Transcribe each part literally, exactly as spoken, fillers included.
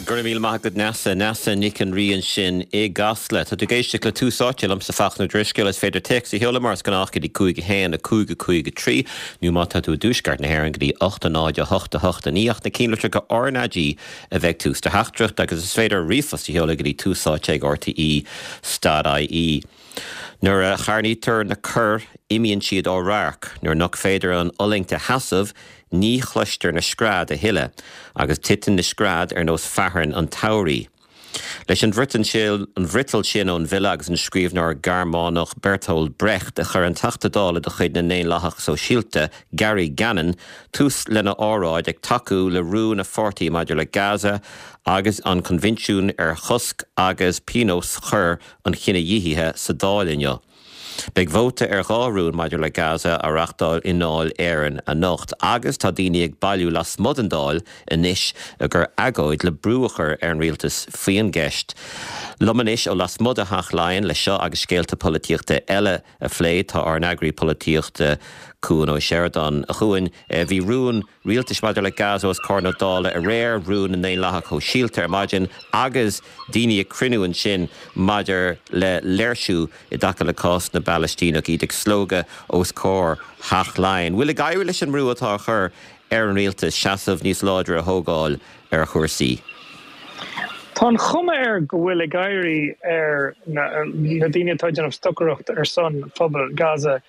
Go raibh míle maith agat Neasa Neasa Nic an Rí ansin i gCasla. Tá tú ag éisteacht le Tús Áite liomsa Fachtna Ó Drisceoil is féidir téacs a sheoladh mar is gnách go dtí cúig a haon a cúig a cúig a trí nó má tá tú i dtuaisceart na hÉireann go dtí ocht a náid a hocht a hocht a naoi ach na ceannlitreacha RnaG a bheidh tús do theachtaireacht agus is féidir ríomhphost a sheoladh go dtí túsáite ag RTE dot IE. Nuair a charnaítear na coir imíonn siad ó radharc, nuair nach féidir an fhulaingt a sheasamh, ní chloistear na scread a thuilleadh, agus titeann na scread ar nós fearthainn an tsamhraidh. Leis an an bhfriotal sin ón bhfile agus an scríbhneoir Gearmánach Bertolt Brecht a chuir an Teachta Dála de chuid na nDaonlathach Sóisialta, Gary Gannon, tús lena óráid ag tacú le rún a pháirtí maidir le Gaza agus an Coinbhinsiún ar Chosc agus Pionós Choir an Chinedhíothaithe sa Dáil inniu. Beidh vóta ar dhá rún maidir le Gaza á reáchtáil i nDáil Éireann anocht agus tá daoine ag bailiú lasmuigh den Dáil anois ag cur agóid le brú a chur ar an rialtas faoin gceist. Liom anois ó lasmuigh de Theach Laighean le seo agus scéalta polaitíochta eile a phlé tá ár n-eagraí polaitíochta Cuan Ó Seireadáin. A Chuain, bhí rún rialtais maidir le Gaza os comhair na Dála aréir, rún na nDaonlathach Sóisialta ar maidin agus daoine ag cruinniú ansin maidir le léirsiú i dtaca le cás na bPalaistíneach iad ag slógadh os comhair Theach Laighean. Bhfuil ag éirí leis an mbrú atá á chur ar an rialtas seasamh níos láidre a thógáil ar chúrsaí? Tá an chuma air go bhfuil ag éirí ar na daoine atá ag déanamh stocaireacht ar son phobal Gaza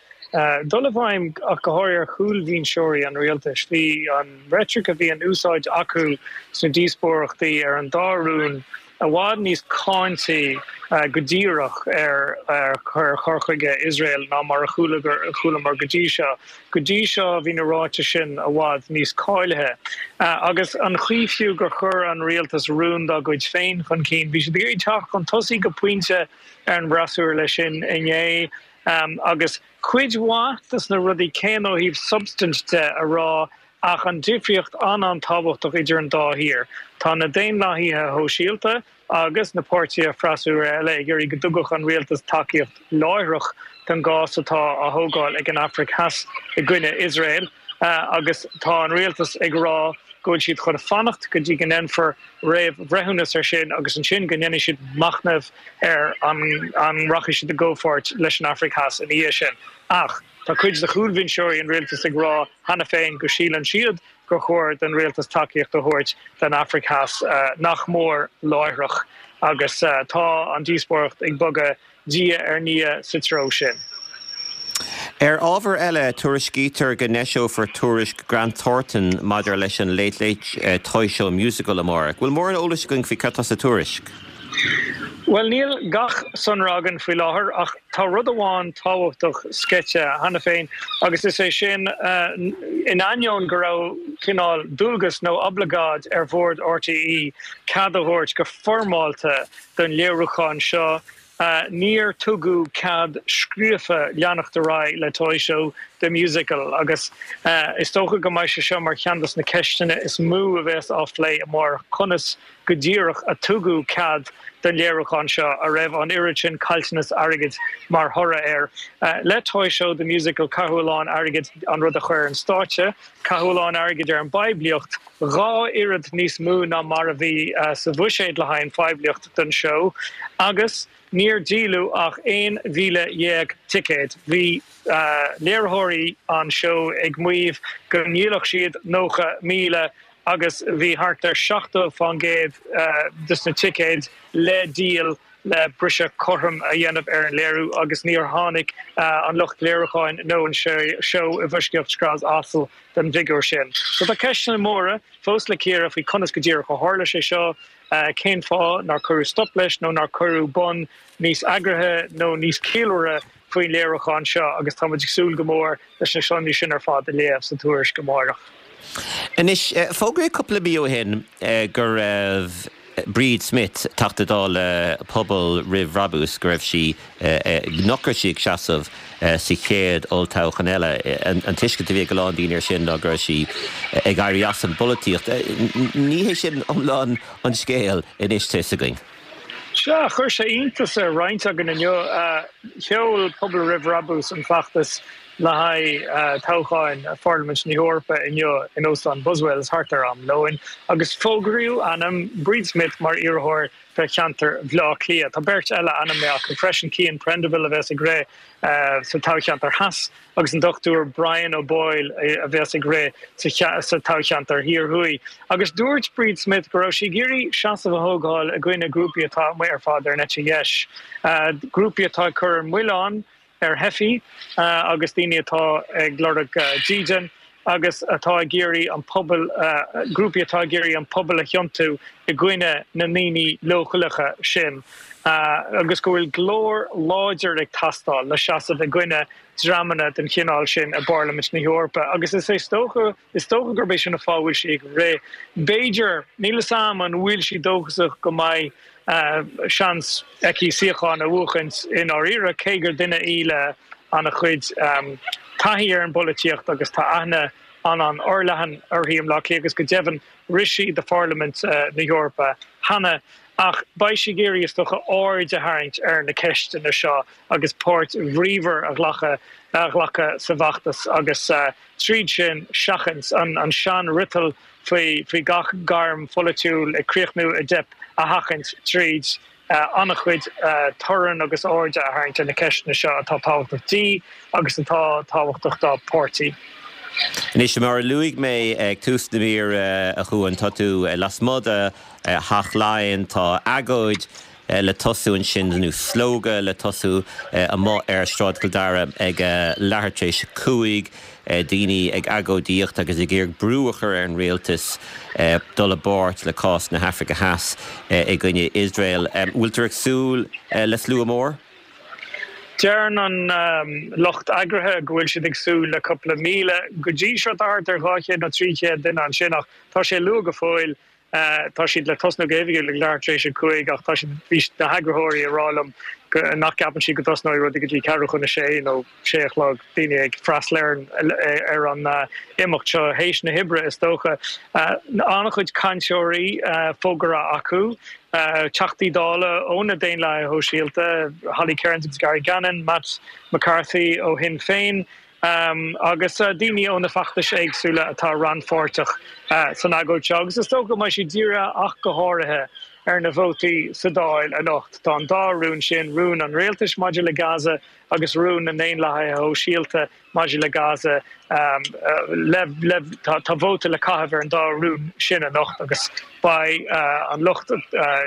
dul i bhfeidhm ach go háirithe ar chúlbhinseoirí an rialtais. Bhí an reitric a bhí in úsáid acu sna díospóireachtaí ar an dá rún i bhfad níos cáintí go díreach ar chur chuige Iosrael ná mar a chualamar go dtí seo. Go dtí seo bhí na ráitis sin i bhfad níos cáilithe. Agus an chaoi fiú gur chuir an rialtas rún dá gcuid féin chun cinn, bhí siad ag iarraidh teacht chun tosaigh go pointe ar an bhfreasúra leis sin inné agus cuid mhaith de na rudaí céanna ó thaobh substaint de a rá ach an difríocht an-an-tábhachtach idir an dá thír. Tá na Daonlathaithe Shóisialta agus na páirtithe freasúra eile ag iarraidh go dtugfadh an rialtas tacaíocht láithreach don gcás atá á thógáil ag an Afraic Theas i gcoinne Iosrael agus tá an rialtas ag rá go bhfuil siad chun fanacht go dtí go ndéanfar réamhbhreithiúnas air sin agus ansin go ndéanfaidh siad machnamh ar an an rachaidh siad i gcomhpháirt leis an Afraic Theas ina dhiaidh sin. Ach tá cuid de chúlbhinseoirí an rialtais ag rá cheana féin go síleann siad gur chóir don rialtas tacaíocht a thabhairt don Afraic Theas nach mór láithreach agus tá an díospóireacht ag bogadh diaidh ar ndiaidh sa treo sin. Ar ábhar eile, tuairiscítear go n-eiseofar tuairisc Grant Thornton maidir leis an Late Late Toy Show Musical amárach. Bhfuil mórán eolais againn faoi cad tá sa tuairisc? Bhuel, níl gach sonra againn faoi láthair ach tá rud amháin tábhachtach sceite cheana féin agus is é sin in ainneoin go raibh cineál dualgas nó oibleagáid ar bhord RTÉ cead a thabhairt go foirmeálta don léiriúchán seo, níor tugadh cead scríofa leanacht ar aghaidh le Toy Show The Musical agus is dócha go mbeidh sé seo mar cheann de na ceisteanna is mó a bheas á phlé amárach, conas go díreach a tugadh cead don léiriúchán seo a raibh an oiread sin caillteanas airgid mar thoradh air. Le Toy Show The Musical caitheadh a lán airgid an rud a chur ar an stáitse, caitheadh a lán airgid ar an bpoiblíocht, dhá oiread níos mó ná mar a bhí sa bhuiséad le haghaidh an phoiblíocht don seó agus níor díoladh ach aon mhíle dhéag ticéad. Bhí léiritheoirí an seó ag maíomh go ndíolfadh siad nócha míle agus bhí thart ar seachtó fán gcéad de na ticéid le díol le briseadh cothrom a dhéanamh ar an léiriú agus níor tháinig an lucht léiriúcháin nó an seó i bhfoisceacht scread asail don bhfigiúr sin. So tá ceisteanna móra fós le cíoradh faoi conas go díreach a tharla sé seo, cén fáth nár cuireadh stop leis nó nár cuireadh bonn níos eagraithe nó níos ciallmhaire faoin léiriúchán seo agus tá muid ag súil go mór leis na sonraí sin ar fad a léamh sa tuairisc amárach. Anois, fógraíodh cúpla mí ó shin go raibh Bríd Smith, Teachta Dála Pobal Roimh Bhrabús, go raibh sí, nach raibh sí ag seasamh sa chéad olltoghchán eile. An tuiscint a bhí ag a lán daoine air sin ná go raibh sí ag éirí as an bpolaitíocht. Ní hé sin iomlán an scéal anois tá a fhios againn. Sea, chuir sé iontas ar roinnt againn inniu. Sheol Pobal Roimh Bhrabús an feachtas le haghaidh toghcháin Pharlaimint na hEorpa inniu in Óstán Buswells thart ar am lóin, agus fógraíodh ainm Bríd Smith mar iarrthóir do cheantar Bhaile Átha Cliath. Tá beirt eile ainmnithe acu freisin, Cian Prendiville a bheas ag rith sa toghcheantar theas agus an Dochtúir Brian O'Boyle a bheas ag rith sa toghcheantar thiar thuaidh. Agus dúirt Bríd Smith go raibh sí ag iarraidh seasamh a thógáil i gcoinne grúpaí atá amuigh ar fad ar an eite dheis, grúpaí atá ag cur an milleán ar theifigh agus daoine atá ag lorg dídean agus atá ag iarraidh an pobal, grúpaí atá ag iarraidh an pobal a thiontú i gcoinne na ndaoine leochaileacha sin agus go bhfuil glór láidir ag teastáil le seasamh i gcoinne dreamanna den chineál sin i bParlaimint na hEorpa agus is é dócha, is dócha gurb é sin an fáth a bhfuil sí ag rith. B'fhéidir, níl a fhios agam an bhfuil sí dóchasach go mbeidh seans aici suíochán a bhuachaint i ndáiríre, cé gur duine í le an-chuid taithí ar an bpolaitíocht agus tá aithne an-an-fhorleathan uirthi i mBleá Cliath agus go deimhin rith sí do Pharlaimint na hEorpa cheana. Ach beidh sí ag iarraidh, is dócha, aird a tharraingt ar na ceisteanna seo agus páirt bhríomhar a ghlacadh a ghlacadh sa bhfeachtas agus tríd sin seachaint an seanfhriotal faoi faoi gach gairm pholaitiúil ag críochnú i dteip a sheachaint tríd an-chuid torainn agus airde a tharraingt ar na ceisteanna seo atá tábhachtach di agus atá tábhachtach dá páirtí. Anois, mar a luaigh mé ag tús na míre, a Chuain, tá tú lasmuigh de Theach Laighean, tá agóid le tosú ansin, nó slógadh le tosú amuigh ar Shráid Chill Dara ag leathuair tar éis a cúig, daoine ag agóidíocht agus ag iarraidh brú a chur ar an rialtas dul i bpáirt le cás na hAfraice Theas i gcoinne Iosrael. Bhfuil tú ag súil le slua mór? Deireann an lucht eagraithe go bhfuil siad ag súil le cúpla míle. Go dtí seo tá thart ar dhá chéad nó trí chéad duine ansin ach tá sé luath go fóill. Tá siad le tosnú go hoifigiúil ag leathuair tar éis a cúig ach tá siad, bhí na heagraitheoirí ag rá liom go, nach gceapann siad go dtosnóidh rudaí go dtí ceathrú chun a sé nó sé a chlog, daoine ag freastal ar an, ar an imeacht seo théis na hoibre is dócha. An-chuid cainteoirí fógartha acu, Teachtaí Dála ó na Daonlathaithe Shóisialta, Holly Cairns agus Gary Gannon, Matt McCarthy ó Shinn Féin, agus daoine ó na feachtais éagsúla atá rannpháirteach san agóid seo agus is dócha go mbeidh sí dírithe ach go háirithe ar na vótaí sa Dáil anocht. Tá an dá rún sin, rún an rialtais maidir le Gaza agus rún na nDaonlathaithe Shóisialta maidir le Gaza, le, le, tá vóta le caitheamh ar an dá rún sin anocht agus beidh an lucht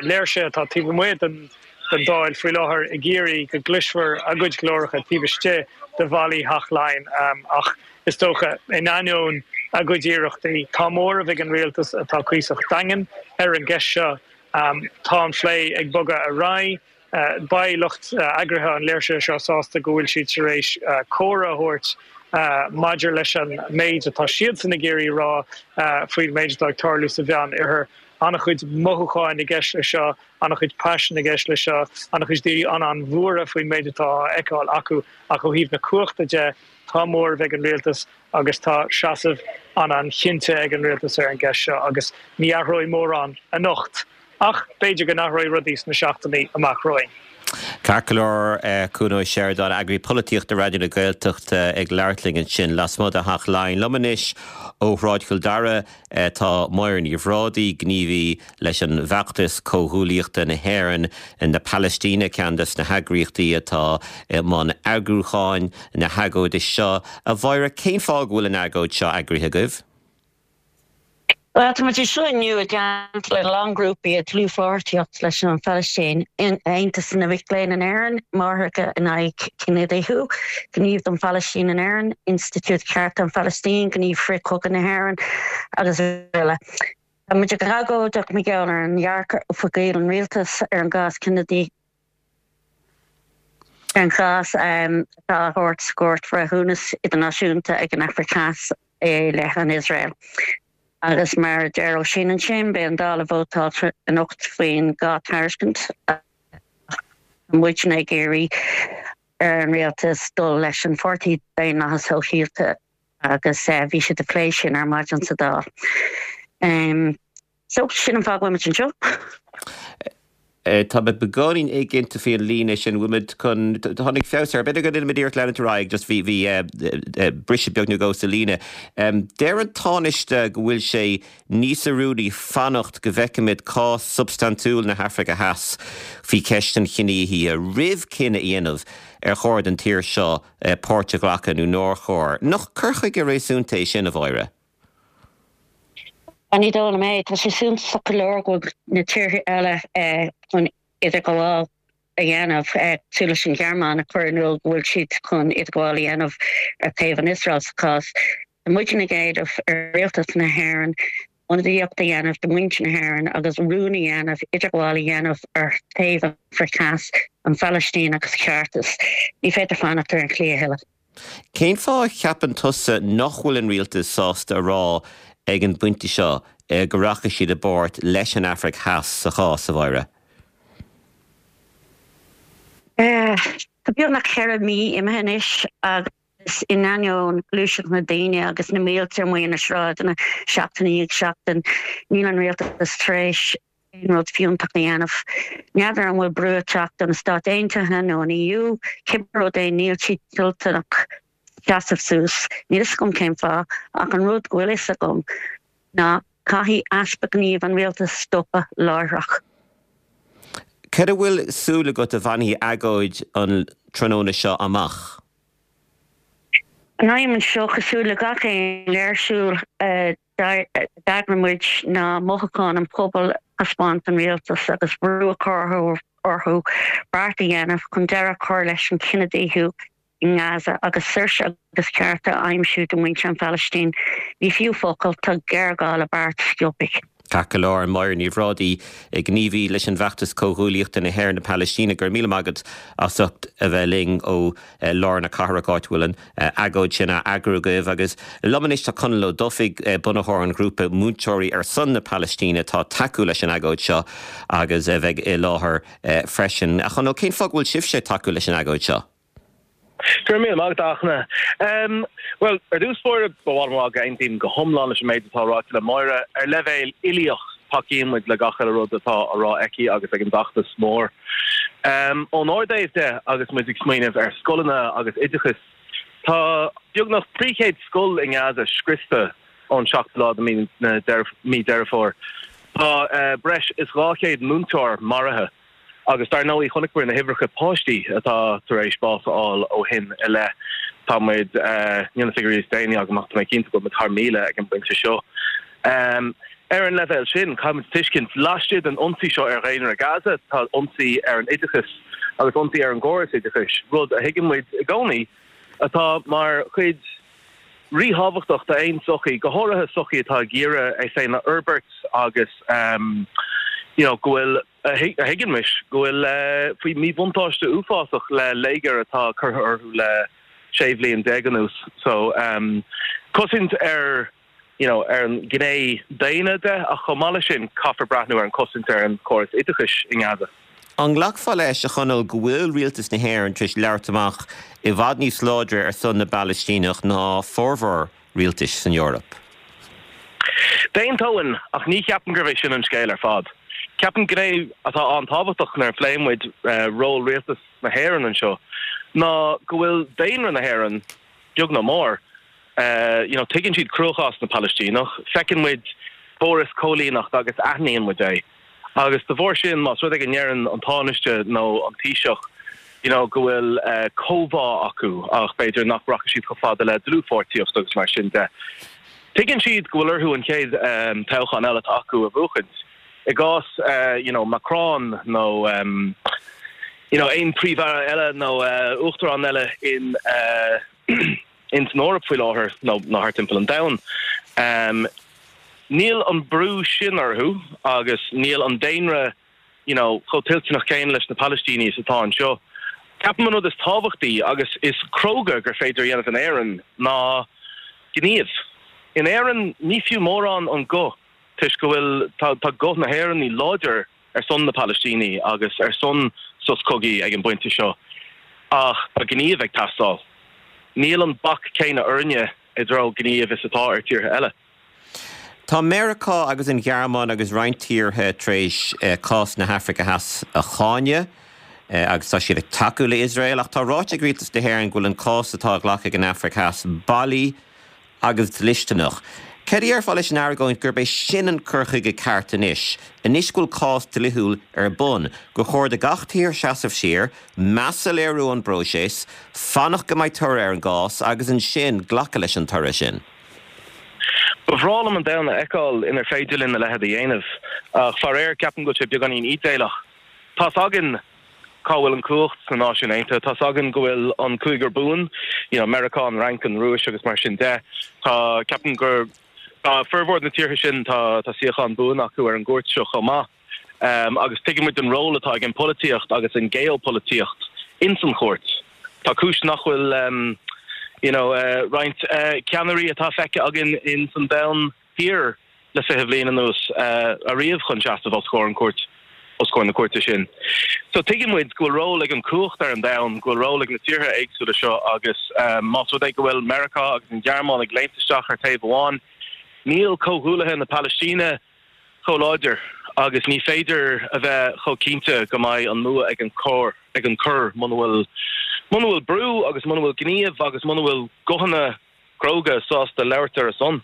léirsithe atá taobh amuigh den den Dáil faoi láthair ag iarraidh go gcloisfear a gcuid glóracha taobh istigh de bhallaí Theach Laighean ach is dócha, in ainneoin a gcuid iarrachtaí, tá móramh ag an rialtas atá cuíosach daingean ar an gceist seo. Tá an plé ag bogadh ar aghaidh. Beidh lucht eagraithe an léirsithe seo sásta go bhfuil siad tar éis comhairle a thabhairt maidir leis an méid atá siadsan ag iarraidh a rá faoin méid atá ag tarlú sa Mheán-Oirthear. An-chuid mothúcháin i gceist leis seo, an-chuid paisin i gceist leis seo, an-chuid daoine an-an-bhuartha faoin méid atá á fheiceáil acu ach ó thaobh na cumhachta de, tá móramh ag an rialtas agus tá seasamh an-an-chinnte ag an rialtas ar an gceist seo agus ní athróidh mórán anocht ach b'fhéidir go n-athróidh rudaí sna seachtainí amach romhainn. Ceart go leor, Cuan Ó Seireadáin, Eagraí Polaitíochta Raidió na Gaeltachta ag labhairt linn ansin lasmuigh de Theach Laighean. Liom anois ó Shráid Chill Dara tá Máire Ní Bhrádaigh, gníomhaí leis an bhfeachtas Comhghuaillíochta na hÉireann na Palaistíne, ceann des na heagraíochtaí atá i mbun eagrúcháin na hagóide seo. A Mháire, cén fáth go bhfuil an agóid seo eagraithe agaibh? Bhuel, tá muid anseo inniu i dteannta le a lán grúpaí i dlúthpháirtíocht leis an Phalaistín, Aontas na Mic Léinn in Éirinn, Máithreacha in aghaidh Cinedhíothú, Gníomh don Phalaistín in Éirinn, Institiúid Chearta an Phalaistín, Gníomh Frith-Chogaidh na hÉireann agus eile. Tá muid ag agóideacht mar gheall ar an dhearcadh oifigiúil an rialtais ar an gcás cinedhíothaithe. Ar an gcás atá á thabhairt sa gCúirt Bhreithiúnas Idirnáisiúnta ag an Afraic Theas i leith an Iosrael. Agus mar a deir Oisín ansin, beidh an Dáil ag vótáil anocht faoin dhá tairiscint ach tá muidne ag iarraidh ar an rialtas dul leis an Pháirtí Daonlathas Sóisialta agus bhí siad ag plé sin ar maidin sa Dáil. So, sin an fáth go bhfuil muid anseo. Tá mé beagáinín éiginnte faoin líne sin bhfuil chun tháinig feabhas air b'fhéidir go ndéanfaimid iarracht leanúint ar aghaidh just bhí bhí briseadh beag nó dhó sa líne. Deir an Tánaiste go bhfuil sé níos oiriúnaí fanacht go bhfeicfimid cás substaintiúil na hAfraice Theas faoi cheist an chinedhíothaithe roimh cinneadh a dhéanamh ar chóir don tír seo páirt a ghlacadh nó nár chóir. Nach cur chuige réasúnta é sin a Mháire? Ní dóigh liom é tá sé suntasach go leor go na tíortha eile chun idirghabháil a dhéanamh cosúil leis an Ghearmáin a chur in iúl go bhfuil siad chun idirghabháil a dhéanamh ar thaobh an Iosrael sa chás. Tá muid ag éileamh ar rialtas na hÉireann ionadaíocht a dhéanamh do mhuintir na hÉireann agus rún a dhéanamh idirghabháil a dhéanamh ar thaobh an Afraic Theas, an Phalaistín agus ceartas. Ní féidir fanacht ar an chlí a thuilleadh. Cén fáth a cheapann tusa nach bhfuil an rialtas sásta a rá ag an bpointe seo go rachaidh siad i bpáirt leis an Afraic Theas sa chás a Mháire? Tá beagnach ceithre mí imithe anois agus in ainneoin gluaiseacht na daoine agus na mílte amuigh na sráideanna seachtain i ndiaidh seachtain, níl an rialtas tar éis aon rud fiúntach a dhéanamh. N'fheadar an bhfuil brú ag teacht ó na Stáit Aontaithe nó an EU, cibé rud é níl siad toilteanach seasamh suas. Níl fhios agam cén fáth ach an rud go bhfuil fhios agam ná caithfidh easpa gnímh an rialtas stopadh láithreach. Cad a bhfuil súil agat a bhainfidh agóid an tráthnóna seo amach? An aidhm anseo cosúil le gach aon léirsiú a d'eagraigh muid ná mothúcháin an phobail a thaispeáint don rialtas agus brú a chur orthu beart a dhéanamh chun deireadh a chur leis an chinedhíothú i nGaza agus saoirse agus cearta a aimsiú do mhuintir an Phalaistín. Ní fiú focal tá géarghá le beart sciobtha. Ceart go leor Máire Ní Bhrádaigh, gníomhaí leis an bhfeachtas Comhghuaillíochta na hÉireann na Palaistíne go raibh míle maith agat as ucht a bheith linn ó lár na cathrach áit a bhfuil an agóid sin á eagrú agaibh agus liom anois tá Conall Ó Dufaigh bunaitheoir an ghrúpa Múinteoirí ar son na Palaistíne atá ag tacú leis an agóid seo agus a bheidh i láthair freisin. A Chonaill cén fáth go bhfuil sibhse ag tacú leis an agóid seo? Go raibh míle maith agat a Fhachtna. Bhuel, ar dtús báire ba mhaith liom a rá go n-aontaím go hiomlán leis an méid atá ráite le Máire. Ar leibhéal uilíoch tacaíonn muid le gach uile rud atá á rá aici agus ag an bhfeachtas mór. Ón ár dtaobh de agus muid ag smaoineamh ar scoileanna agus oideachas, tá beagnach trí chéad scoil i nGaza scriosta ón seachtú lá de mí Deireadh Fómhair. Tá breis is dhá chéad múinteoir maraithe. Agus dar ndóigh chonaic na huimhreacha páistí atá tar éis bás a fháil ó shin i leith. Tá muid níl na figiúirí is déanaí agam ach tá mé cinnte go bhfuil thar míle ag an bpointe seo. Um, ar an leibhéal sin caithfimid tuiscint laistigh den ionsaí seo ar dhaonra Gaza tá ionsaí ar an oideachas agus ionsaí ar an gcóras oideachais, rud a thuigeann muid i gcónaí atá mar chuid ríthábhachtach d'aon sochaí, go háirithe sochaí atá ag iarraidh é féin a fhorbairt agus um, you know, go bhfuil a thuigeann muid go bhfuil uh, faoi míbhuntáiste uafásach le léigear atá curtha orthu le sé bhliain déag anuas. So um, cosaint ar you know, ar an gné daonna de ach chomh maith leis sin caithfear breathnú ar an cosaint ar an córas oideachais i nGaza. An nglacfá leis a Chonaill go bhfuil rialtas na hÉireann tar éis labhairt amach i bhfad níos láidre ar son na bPalaistíneach ná formhór rialtais san Eoraip. D'aontóinn ach ní cheapaim gurb é sin an scéal ar fad. Ceapaim gné atá an-tábhachtach nuair a phléann muid uh, ról rialtas na hÉireann anseo ná go bhfuil daonra na hÉireann beag nó mór uh, you know, tuigeann siad cruachás na Palaistíneach, feiceann muid córas coilíneachta agus aithníonn muid é. Agus de bharr sin más rud é go ndeireann an Tánaiste nó an Taoiseach you know, go bhfuil uh, comhbhá acu ach b'fhéidir nach rachaidh siad chomh fada le dlúthpháirtíocht agus mar sin de. Tuigeann siad go bhfuil orthu an chéad um, toghchán eile acu a bhuachaint. I gcás uh, you know, Macron nó um, you know, aon phríomh-aire eile nó uh, uachtarán eile in uh, in san Eoraip faoi láthair nó nó thart timpeall an domhain. Um, níl an brú sin orthu agus níl an daonra you know, chomh toilteanach céanna leis na Palaistínigh atá anseo. Ceapaim an rud is tábhachtaí agus is cróga gur féidir dhéanamh in Éirinn ná gníomh. In Éirinn ní fiú mórán an guth toisc go bhfuil tá, tá guth na hÉireann láidir ar son na Palaistínigh agus ar son sos cogaidh ag an bpointe seo. Ach tá gníomh ag teastáil. Níl an bac céanna orainne i dtreo gníomh is atá ar tíortha eile. Tá Meiriceá agus an Ghearmáin agus roinnt tíortha tar éis cás na hAfraice Theas a cháineadh agus tá siad ag tacú le Iosrael, ach tá ráite ag Rialtas na hÉireann go bhfuil an cás atá á ghlacadh ag an Afraic Theas bailí agus dlisteanach. Céard a déarfá leis an argóint gurb é sin an cur chuige ceart anois, anois go bhfuil cás dlíthiúil ar bun, gur chóir do gach tír seasamh siar, meas a léiriú don bpróiseas, fanacht go mbeidh toradh ar an gcás agus ansin glacadh leis an toradh sin? Ba bhreá liom an domhan a fheiceáil inar féidir linn a leithéid a dhéanamh, ach faraor ceapaim go bhfuil sé beagáinín ídéalach. Tá's againn cá bhfuil an cumhacht sna Náisiúin Aontaithe, tá's againn go bhfuil an cúigear buan, you know, Meiriceá, an Fhrainc, an Rúis agus mar sin de. Tá, ceapaim gur, tá formhór na tíortha sin, tá, tá suíochán buan acu ar an gcúirt seo chomh maith. Agus tuigeann muid an ról atá ag an bpolaitíocht agus an geopolaitíocht ins an chúirt. Tá cúis nach bhfuil, you know, roinnt ceannairí atá feicthe againn ins an domhan thiar le fiche bhliain anuas ariamh chun seasamh os comhair an cúirt, os comhair na cúirte sin. So tuigeann muid go bhfuil ról ag an cumhacht ar an domhan, go bhfuil ról ag na tíortha éagsúla seo agus más rud é go bhfuil Meiriceá agus an Ghearmáin ag léimt isteach ar taobh amháin, níl comhghuaillithe na Palaistíne chomh láidir agus ní féidir a bheith chomh cinnte go mbeidh an mbua ag an cor ag an cor muna bhfuil muna bhfuil brú agus muna bhfuil gníomh agus muna bhfuil guthanna cróga sásta labhairt ar a son.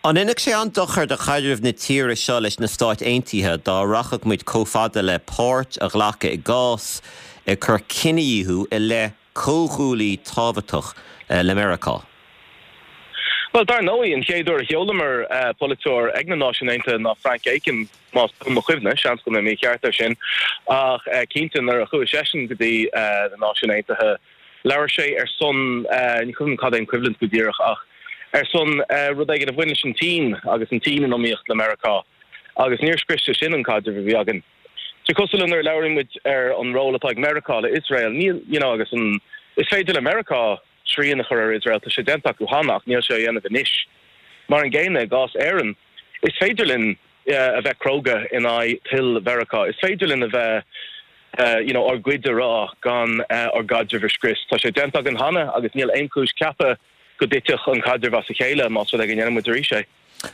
An ndéanfadh sé an-dochar do chaidreamh na tíre seo leis na Stáit Aontaithe dá rachadh muid chomh fada le páirt a ghlacadh i gcás ag cur cinedhíothú i leith comhghuaillí tábhachtach le Meiriceá? Bhuel, dar ndóigh, an chéad uair a sheolamar polaiteoir ag na Náisiúin Aontaithe ná Frank Aiken, más buan mo chuimhne, seans go mbeidh mé mícheart ar sin, ach cinnte nuair a chuaigh seisean go dtí na Náisiúin Aontaithe, labhair sé ar son, ní cuimhin cad é an coimhlint go díreach, ach ar son rud éigin a bhain leis an tSín agus an tSín in iomaíocht le Meiriceá, agus níor scrios sé sin an caidreamh a bhí againn. Tá cosúil le nuair a labhraíonn muid ar an ról atá ag Meiriceá le Iosrael, níl, you know, agus an, is féidir le Meiriceá srian a chur ar Iosrael, tá sé déanta acu cheana ach níl sé á dhéanamh anois. Mar an gcéanna i gcás Éireann, is féidir linn a bheith cróga in aghaidh toil Mheiriceá, is féidir linn a bheith you know ár gcuid a rá gan ár gcaidreamh a scrios. Tá sé déanta againn cheana agus níl aon chúis ceapadh go dtitfeadh an caidreamh as a chéile más rud é go ndéanann muid arís é.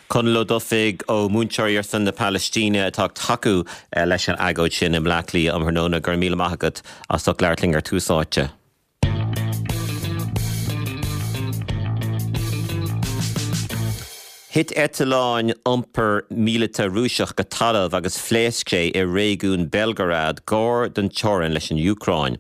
Conall Ó Dufaigh ó Múinteoirí ar son na Palaistíne atá ag tacú leis an agóid sin i mBleá Cliath um thráthnóna. Go raibh míle maith agat as ucht labhairt linn ar Tús Áite. Thit eitleán iompair míleata Rúiseach go talamh agus phléasc sé i réigiún Belgorod gar don teorainn leis an Úcráin.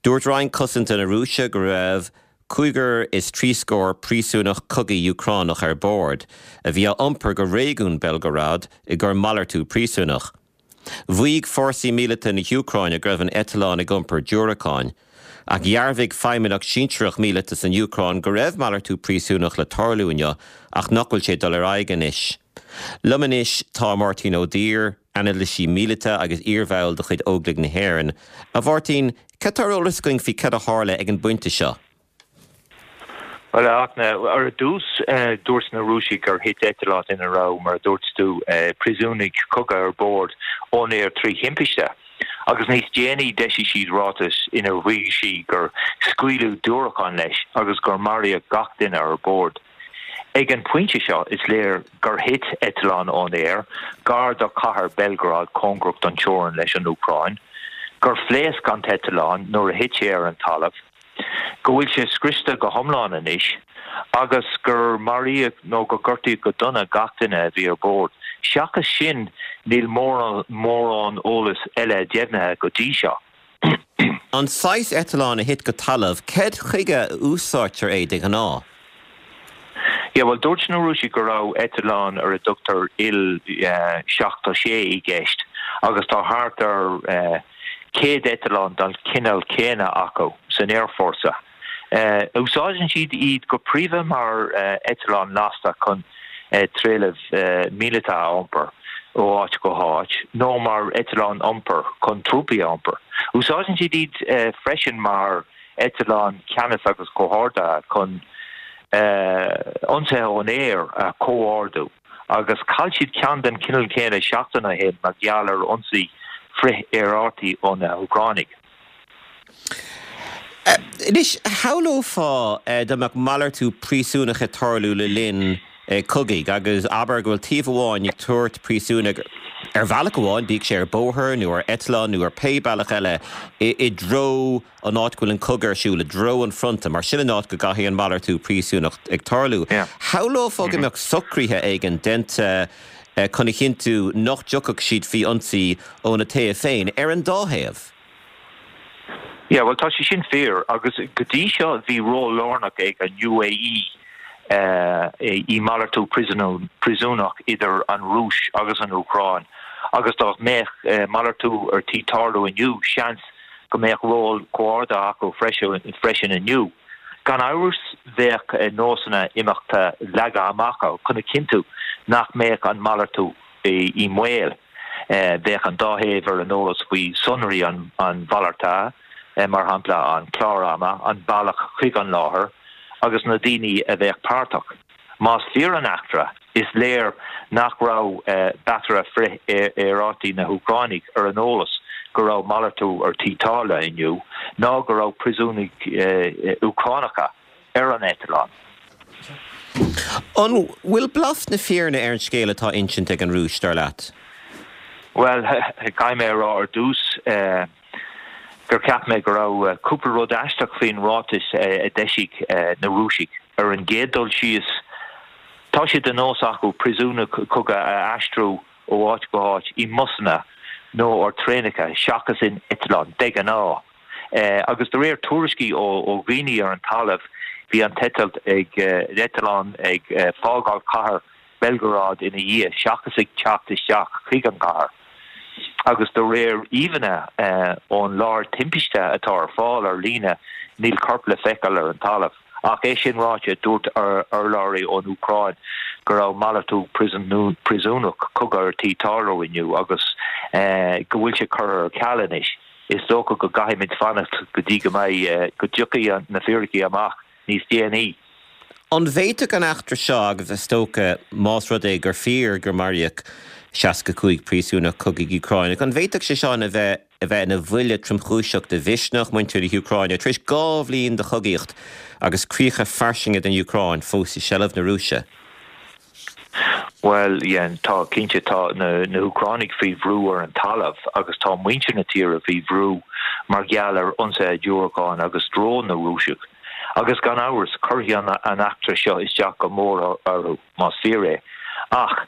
Dúirt Roinn Cosanta na Rúise go raibh cúigear is trí scór príosúnach cogaidh Úcránach ar bord, a bhí á iompar go réigiún Belgorod i gcomhair malartú príosúnach. Mhaígh fórsaí míleata na hÚcráine go raibh an eitleán ag iompar diúracáin. Ach dhearbhaigh feidhmeannach sinsearach míleata san Úcráin go raibh malartú príosúnach le tarlú inniu ach nach bhfuil sé ag dul ar aghaidh anois. Liom anois tá Máirtín Ó Duibhir, anailísí míleata agus iarbhall de chuid Óglaigh na hÉireann. A Mháirtín, cad tá ar eolas againn faoi cad a tharla ag an bpointe seo? Bhuel, a Fhachtna, ar dtús, dúirt na Rúisigh gur thit eitleán ina raibh, mar a dúirt tú, príosúnaigh cogaidh ar bord ón aer trí thimpiste. Agus níos déanaí d'eisigh siad ráiteas inar mhaígh siad gur scaoileadh diúracáin leis agus gur maraíodh gach duine ar bord. Ag an bpointe seo is léir gur thit eitleán ón aer gar do chathair Belgorod cóngarach don teorainn leis an Úcráin, gur phléasc an t-eitleán nuair a thit sé ar an talamh, go bhfuil sé scriosta go hiomlán anois agus gur maraíodh nó gur gortaíodh go dona gach duine a bhí ar bord. Seachas sin, níl mórán eolas eile deimhnithe go dtí seo. An saghas eitleáin a thit go talamh, cad chuige a úsáidtear é de ghnáth? Yeah, bhuel, dúirt na Rúisigh go raibh eitleán ar a dtugtar Il seachtó sé i gceist agus tá thart ar céad eitleán den chineál céanna acu san aerfhórsa. Úsáideann siad iad go príomha mar eitleáin lasta chun trealamh míleata a iompar ó áit go háit nó mar eitleáin iompair chun trúpaí a iompar. Úsáideann siad iad freisin mar eitleáin ceannais agus comhordaithe chun ionsaithe ón aer a chomhordú agus chaill siad ceann den chineál céanna seachtain ó shin mar gheall ar ionsaí frith-aerárthaí ó na hÚcránaigh. Anois, shamhlófá dá mbeadh malartú príosúnach ag tarlú le linn cogaidh agus abair go bhfuil taobh amháin ag tabhairt príosúnaigh ar bhealach amháin, bíodh sé ar bóthar nó ar eitleán nó ar pé bealach eile, i dtreo an áit go bhfuil an cogadh ar siúl, i dtreo an fronta, mar sin an áit go gcaithfidh an malartú príosúnach ag tarlú. Shamhlófá go mbeadh socruithe éigin déanta chun a chinntiú nach dtiocfadh siad faoi ionsaí óna taobh féin, ar an dá thaobh. Yeah, bhuel tá sé sin fíor agus go dtí seo bhí ról lárnach ag an UAE i malartú príosúnach idir an Rúis agus an Úcráin agus dá mbeadh malartú ar tí tarlú inniu, seans go mbeadh ról comhordaithe acu freisin inniu. Gan amhras bheadh nósanna imeachta leagtha amach chun a chinntiú nach mbeadh an malartú i mbaol. Bheadh an dá thaobh ar an eolas faoi sonraí an mhalartaithe, mar shampla an clár ama, an bealach chuig an láthair agus na daoine a bheadh páirteach. Más fíor an eachtra, is léir nach raibh bataire frith-aerárthaí na hÚcráine ar an eolas go raibh malartú ar tí tarlú inniu ná go raibh príosúnaigh Úcránacha ar an eitleán. An bhfuil blas na fírinne ar an scéal atá insinte ag an Rúis, dar leat? Bhuel, caithfidh mé a rá ar dtús gur cheap mé go raibh cúpla rud aisteach faoin ráiteas a d'eisigh na Rúisigh. Ar an gcéad dul síos, tá sé de nós acu príosúnaigh cogaidh a aistriú ó áit go háit i mbusanna nó ar traenacha seachas in eitleán, de ghnáth. Agus de réir tuairiscí ó dhaoine ar an talamh, bhí an t-eitilt ag eitleán ag fágáil cathair Belgorod ina dhiaidh seachas ag teacht isteach chuig an gcathair. Agus de réir íomhánna ón láthair timpiste atá ar fáil ar líne, níl corp le feiceáil ar an talamh. Ach é sin ráite, dúirt urlabhraí ón Úcráin go raibh malartú príosúnach cogaidh ar tí tarlú inniu agus go bhfuil sé curtha ar ceal anois. Is dócha go gcaithfimid fanacht go dtí go mbeidh, go dtiocfaidh na fíricí amach níos déanaí. An bhféadfadh an eachtra seo, agus is dócha, más rud é gur fíor gur maraíodh seasca cúig príosúnach cogaidh Úcráineach, an bhféadfadh sé seo a bheith a bheith ina bhuille tromchúiseach do mhisneach muintir na hÚcráine tar éis dhá bhliain de chogaíocht agus críocha fairsinge den Úcráin fós i seilbh na Rúise? Bhuel, yeah, tá, cinnte, tá na na hÚcránaigh faoi bhrú ar an talamh agus tá muintir na tíre faoi bhrú mar gheall ar ionsaithe diúracán agus drón na Rúiseach. Agus gan amhras, cuirfidh an eachtra seo isteach go mór orthu, más fíor é. Ach,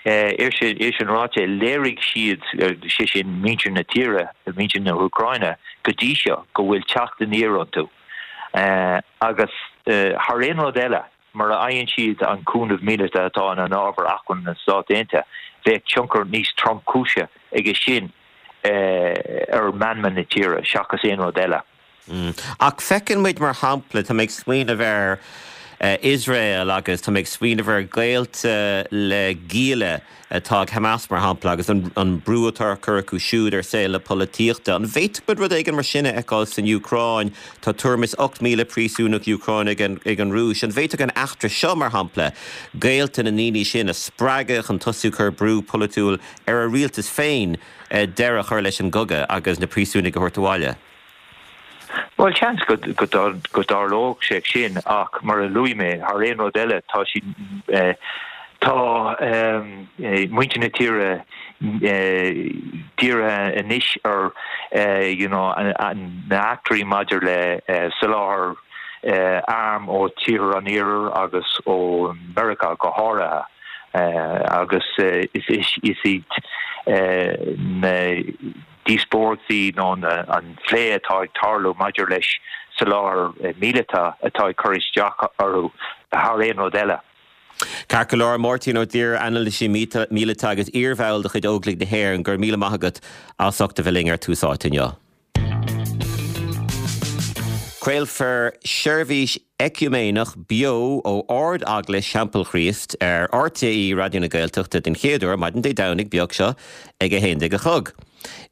é sin ráite, léirigh siad, sé sin muintir na tíre, muintir na hÚcráine, go dtí seo go bhfuil teacht aniar iontu. Agus thar aon rud eile, mura fhaigheann siad an cúnamh míleata atá ina n-ábhar achmainn na Stát Aontaithe, bheadh tionchar níos tromchúisí aige sin ar mheanma na tíre seachas aon rud eile. Ach feiceann muid, mar shampla, tá mé ag smaoineamh ar Iosrael agus tá mé ag smaoineamh ar ghaolta le gialla atá ag Hamas, mar shampla, agus an brú atá á chur acu siúd ar saol na polaitíochta. An bhféadfadh muid rud éigin mar sin a fheiceáil san Úcráin? Tá tuairim is ocht míle príosúnach Úcránach ag an Rúis. An bhféadfadh an eachtra seo, mar shampla, gaolta na ndaoine sin a spreagadh chun tosú ag cur brú polaitiúil ar a rialtas féin deireadh a chur leis an gcogadh agus na príosúnaigh a thabhairt abhaile? Bhuel, seans go dtarlódh sé sin ach mar a luaigh mé, thar aon rud eile, tá siad, tá muintir na tíre dírithe anois ar you know na heachtraí maidir le soláthar arm ó tíortha an Iarthair agus ó Mheiriceá go háirithe agus is iad na díospóireachtaí nó an plé atá ag tarlú maidir leis soláthar míleata atá ag cur isteach orthu thar aon rud eile. Ceart go leor, Máirtín Ó Duibhir, anailísí míleata agus iarbhall de chuid Óglaigh na hÉireann, go raibh míle maith agat as ucht a bheith linn ar Tús Áite inniu. Craolfar seirbhís eiciúiméineach beo ó Ard-Eaglais Theampall Chríost ar RTÉ Raidió na Gaeltachta den chéad uair maidin Dé Domhnaigh beag seo ag a haon déag a chlog.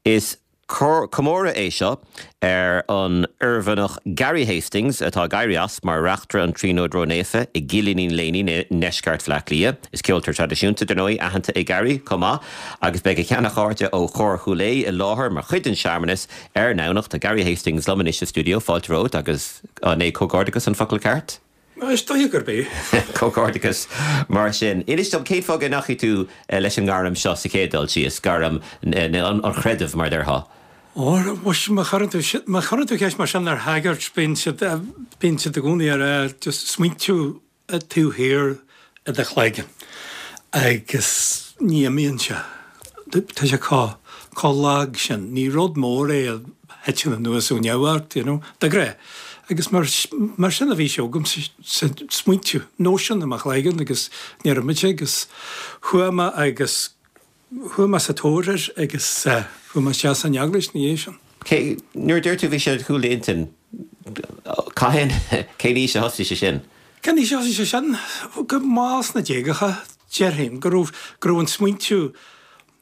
Is comóradh é seo ar an Oirmhinneach Gary Hastings atá ag éirí as mar Reachtaire an Tríonóid Ró-Naofa i gCill Iníon Léiní i ndeisceart Bhaile Átha Cliath. Is ceoltóir traidisiúnta, dar ndóigh, aitheanta é Gary chomh maith agus beidh a sheana-chairde ó Chór Chúil Aodha i láthair mar chuid den searmanas ar an nDomhnach. Tá Gary Hastings liom anois sa stiúideo, fáilte romhat agus an é comhghairdeachas an focal ceart? Is dóigh gurb é. Comhghairdeachas mar sin. Inis dom cén fáth go ndeachaigh tú leis an ngairm seo sa chéad dul síos, gairm an chreidimh mar a déarfá? Ó, mhuise, má chuireann tú, má chuireann tú ceist mar sin ar shagart, bíonn siad, bíonn siad i gcónaí ag rá just smaointiú taobh thiar i do chloigeann agus ní imíonn sé. Tá sé chomh, chomh lag sin. Ní rud mór é a thiteann anuas ó neamh ort, you know, de ghnáth. Agus mar, mar sin a bhí sé agamsa, smaointiú, nóisean i mo chloigeann agus níor imigh sé agus chuaigh mé agus chuaigh mé sa tóir air agus chuaigh mé isteach san eaglais ina dhiaidh sin. Cé, nuair a deir tú bhí sé ar chúl d'intinn, cathain, cén aois a thosaigh sé sin? Cén aois a thosaigh sé sin? Go mall sna déagacha, déarfainn, go raibh, go raibh an smaointiú,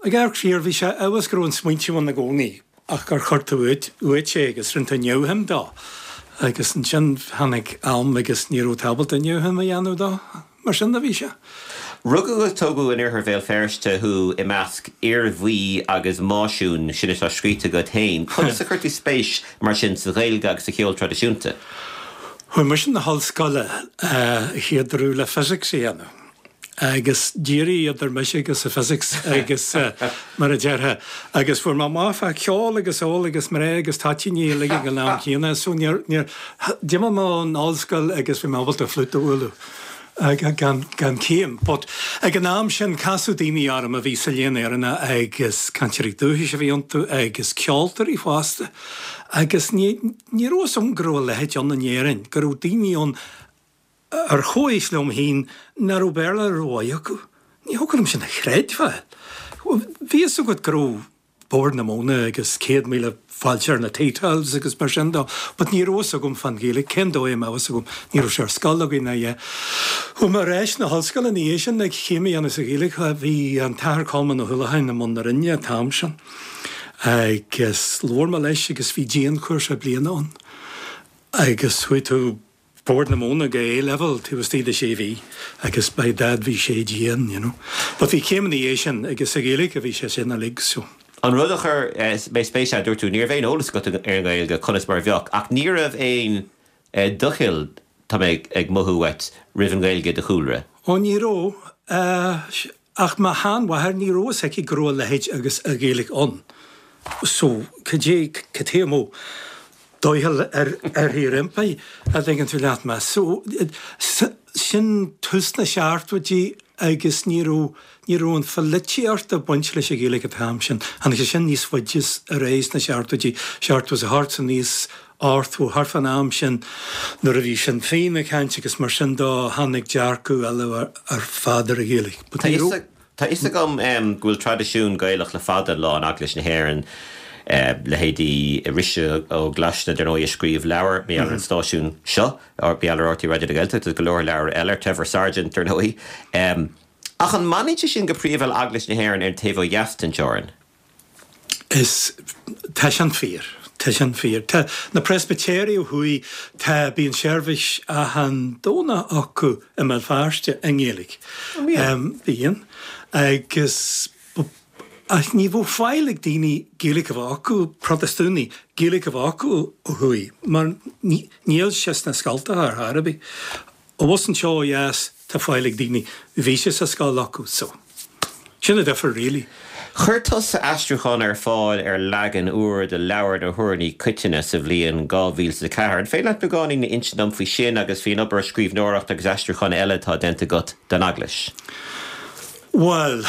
ag amharc siar, bhí sé abhus go raibh an smaointiú ann i gcónaí ach gur chuir tú uait, uait é agus rinne tú neamhshuim dó. Agus ansin tháinig am agus ní raibh tú ábalta neamhshuim a dhéanamh dó. Mar sin a bhí sé. Rugadh agus tógadh in oirthear Bhéal Feirste thú i measc fhir bhuí agus máisiún, sin atá scríte agat féin. Conas a chuir tú spéis mar sin sa Ghaeilge agus sa cheol traidisiúnta? Chuaigh mise 'na hollscoile a chéad uair le physics a dhéanamh. Agus d'éirigh idir mise agus an physics agus mar a déarfá agus fuair mé amach fá cheol agus ól agus mná agus toitíní uilig ag an am céanna so níor níor d'imigh mé ón ollscoil agus bhí mé ábalta flute a bhualadh gan gan céim. But ag an am sin casadh daoine orm a bhí sa Léann Éireannach agus cainteoirí dúchais a bhí iontu agus ceoltóirí fosta agus ní ní raibh fhios agam go raibh a leithéid ann in Éirinn, go raibh daoine ann ar chomhaois liom féin nach raibh Béarla rómhaith acu. Ní thiocfadh liom sin a chreidbheáil. Bhí fhios agat go raibh Bord na Móna agus céad míle fáilte ar na tea towels agus mar sin dó, but ní raibh fhios agam fán Ghaeilge, cén dóigh a mbeadh fhios agam, ní raibh sé ar scoil againn ná a dhath. Chuaigh mé ar ais na hollscoile ina dhiaidh sin ag céim a dhéanamh sa Ghaeilge, bhí an tAthair Colmán Ó hUallacháin i mbun na Roinne an t-am sin agus labhair mé leis agus bhí dianchúrsa bliana ann agus chuaigh tú Bord na Móna go A-level taobh istigh de sé mhí agus by dad bhí sé dian, you know. But bhí céim ina dhiaidh sin agus sa Ghaeilge a bhí sé sin uilig so. An rud a chuir mé spéis ann, dúirt tú, ní raibh aon eolas agat ar an nGaeilge, conas mar a bheadh, ach ní raibh aon doicheall, tá mé ag mothú uait, roimh an nGaeilge i do chúlra. Ó ní raibh. Ach mo sheanmháthair, ní raibh fhios aici go raibh a leithéid agus a Ghaeilge ann. So, cad é, cad é a mbeadh doicheall uirthi roimpi, a dtuigeann tú leat mé. So, sin tús na seachtóidí agus ní raibh, ní raibh an pholaitíocht ag baint leis an Ghaeilge an t-am sin. Tháinig sé sin níos faide ar aghaidh sna seachtóidí, seachtó is a hocht aníos ochtó, thart fán am sin nuair a bhí Sinn Féin ag caint agus mar sin dó, tháinig dearcadh eile ar fad ar an Ghaeilge. But ní raibh. Tá fhios agam go bhfuil traidisiún Gaelach le fada an lá in Eaglais na hÉireann, leithéidí Róise Ó Glaisne, dar ndóigh, a scríobh leabhar mar gheall ar an stáisiún seo, mar gheall ar RTÉ Raidió na Gaeltachta, agus go leor leabhar eile, Trevor Sargent, dar ndóigh. Ach an mbaineann sé sin go príomha le Eaglais na hÉireann ar an taobh ó dheas den teorainn? Is, tá sin fíor. Tá sin fíor. Tá na Preispitéirigh ó thuaidh, tá, bíonn seirbhís achan Domhnach acu i mBéal Feirste i nGaeilge. Bíonn? Bíonn. Agus, ach ní bheadh faill ag daoine Gaeilge a bheith acu, Protastúnaigh, Gaeilge a bheith acu ó thuaidh, mar níl sé sna scoltacha ar chor ar bith. Abhus anseo ó dheas tá faill ag daoine, bhí sé sa scoil acu so sin an difear really. Chuir tusa aistriúchán ar fáil ar leagan úr de Leabhar na hUrnaí Coitinne sa bhliain dhá mhíle is a ceathair. An féidir leat beagáinín a insint dom faoi sin agus faoin obair scríbhneoireachta agus aistriúcháin eile atá déanta agat don Eaglais? Bhuel,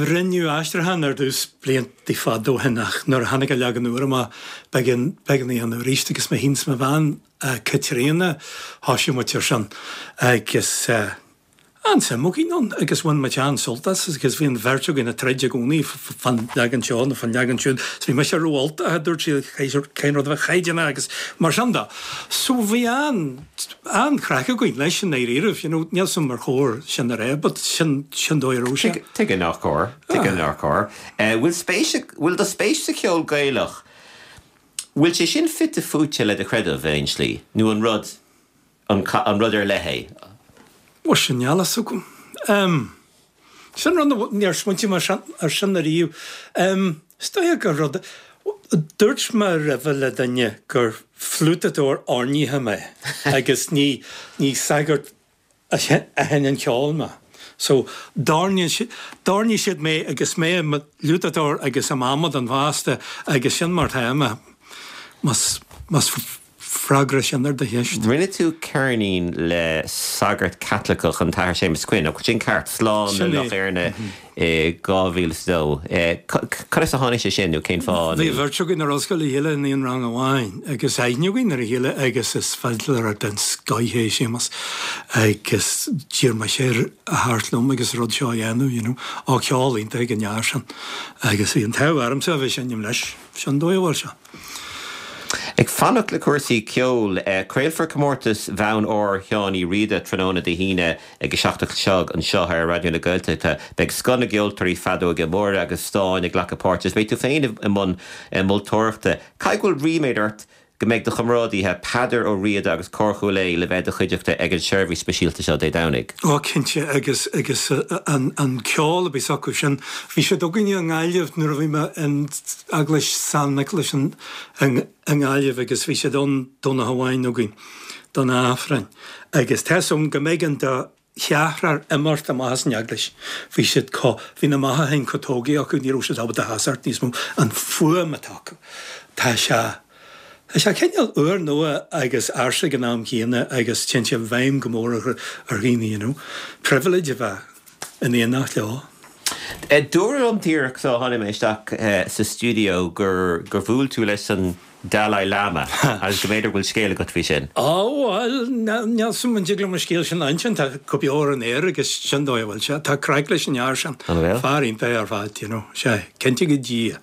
rinneadh aistriúchán ar dtús blianta fada ó shin ach nuair a tháinig an leagan úr amach b'éigean b'éigean é a dhéanamh arís agus mé féin is mo bhean Caitríona, thosaigh muid ar sin agus an-suim againn ann agus bhain muid an-sult as agus bhí an bheirt againn ag troid i gcónaí fán leagan seo nó fán leagan siúd. Is bhí mise ró-Ultach, a dúirt sí, cén rud a bheith caighdeánach agus mar sin de. So bhí an, an-chraic againn leis i ndáiríribh, you know, níl 's agam ar chóir sin a rá but sin, sin dóigh a raibh sé. Tuige nár chóir, tuige nár chóir. Bhfuil spéis, bhfuil do spéis sa cheol Gaelach, Bhfuil sé sin fite fuaite le do chreideamh in aon slí, nó an rud an rud ar leith é? Mhuise, níl a fhios agam. Sin rud, níor smaointigh mé air sin ariamh. Is dóigh gur rud, Dúirt mé roimhe le duine gur fliútadóir oirnithe mé agus ní ní sagart a sheinneann ceol mé. So d'oirnigh siad mé agus mé i mo fhliútadóir agus i m'amadán fosta agus sin mar atá mé. Más más freagra sin ar do cheist. Rinne tú ceirnín le sagart Caitliceach, an tAthair Séamus Quinn, an bhfuil sin ceart, Slán le Loch Éirne i dhá mhíle is a dó. Conas a tháinig sé sin nó cén fáth? Bhí beirt againn ar ollscoil le chéile in aon rang amháin agus aithne againn ar a chéile agus is fidléir den scoith é Séamus agus d'iarr mise air a theacht liom agus rud seo a dhéanamh, you know. Á ceol iontach ag an fhear sin agus bhí an t-ádh ormsa a bheith ag seinm leis. Sin dóigh a bhfuil sé. Ag fanacht le cúrsaí ceoil, craolfar comórtas Bhonn Óir Sheáin Uí Riada tráthnóna Dé hAoine ag a seacht a chlog anseo ar Raidió na Gaeltachta. Beidh scoth na gceoltóirí feadóige móra agus stáin ag glacadh páirte agus beidh tú féin i mbun moltóireachta. Caithfidh go bhfuil ríméad ort go mbeidh do chomrádaithe Peadar Ó Riada agus Cór Chúil Aodha le bheith i do chuideachta ag an seirbhís speisialta seo Dé Domhnaigh. Ó cinnte agus agus an an ceol a bhí acu sin. Bhí siad againne i nGaillimh nuair a bhí mé in Eaglais San Nioclás in i nGaillimh agus bhí siad ann Domhnach amháin againn don Aifreann agus tá 'fhios a'm go mb'éigean do cheathrar imeacht amach as an eaglais. Bhí siad chomh, bhí na mothúcháin chomh tógtha acu, ní raibh siad ábalta seasamh níos mó. An fuaim atá acu, tá sé, tá sé cineál úrnua agus ársa ag an am céanna agus téann sé i bhfeidhm go mór ar dhaoine, you know. Privilege a bheith in éineacht leo. Dúradh liom díreach sula tháinig mé isteach sa stiúideo gur gur bhuail tú leis an Dalai Lama agus go mb'fhéidir go bhfuil scéal agat faoi sin. Á, bhuel, níl 's a'm an dtig liom an scéal sin a insint, tá go beo ar an aer agus sin dóigh a bhfuil sé. Tá craic leis an fhear sin. An bhfuil? Fear iontach ar fad, you know. Sea, cinnte go Dia.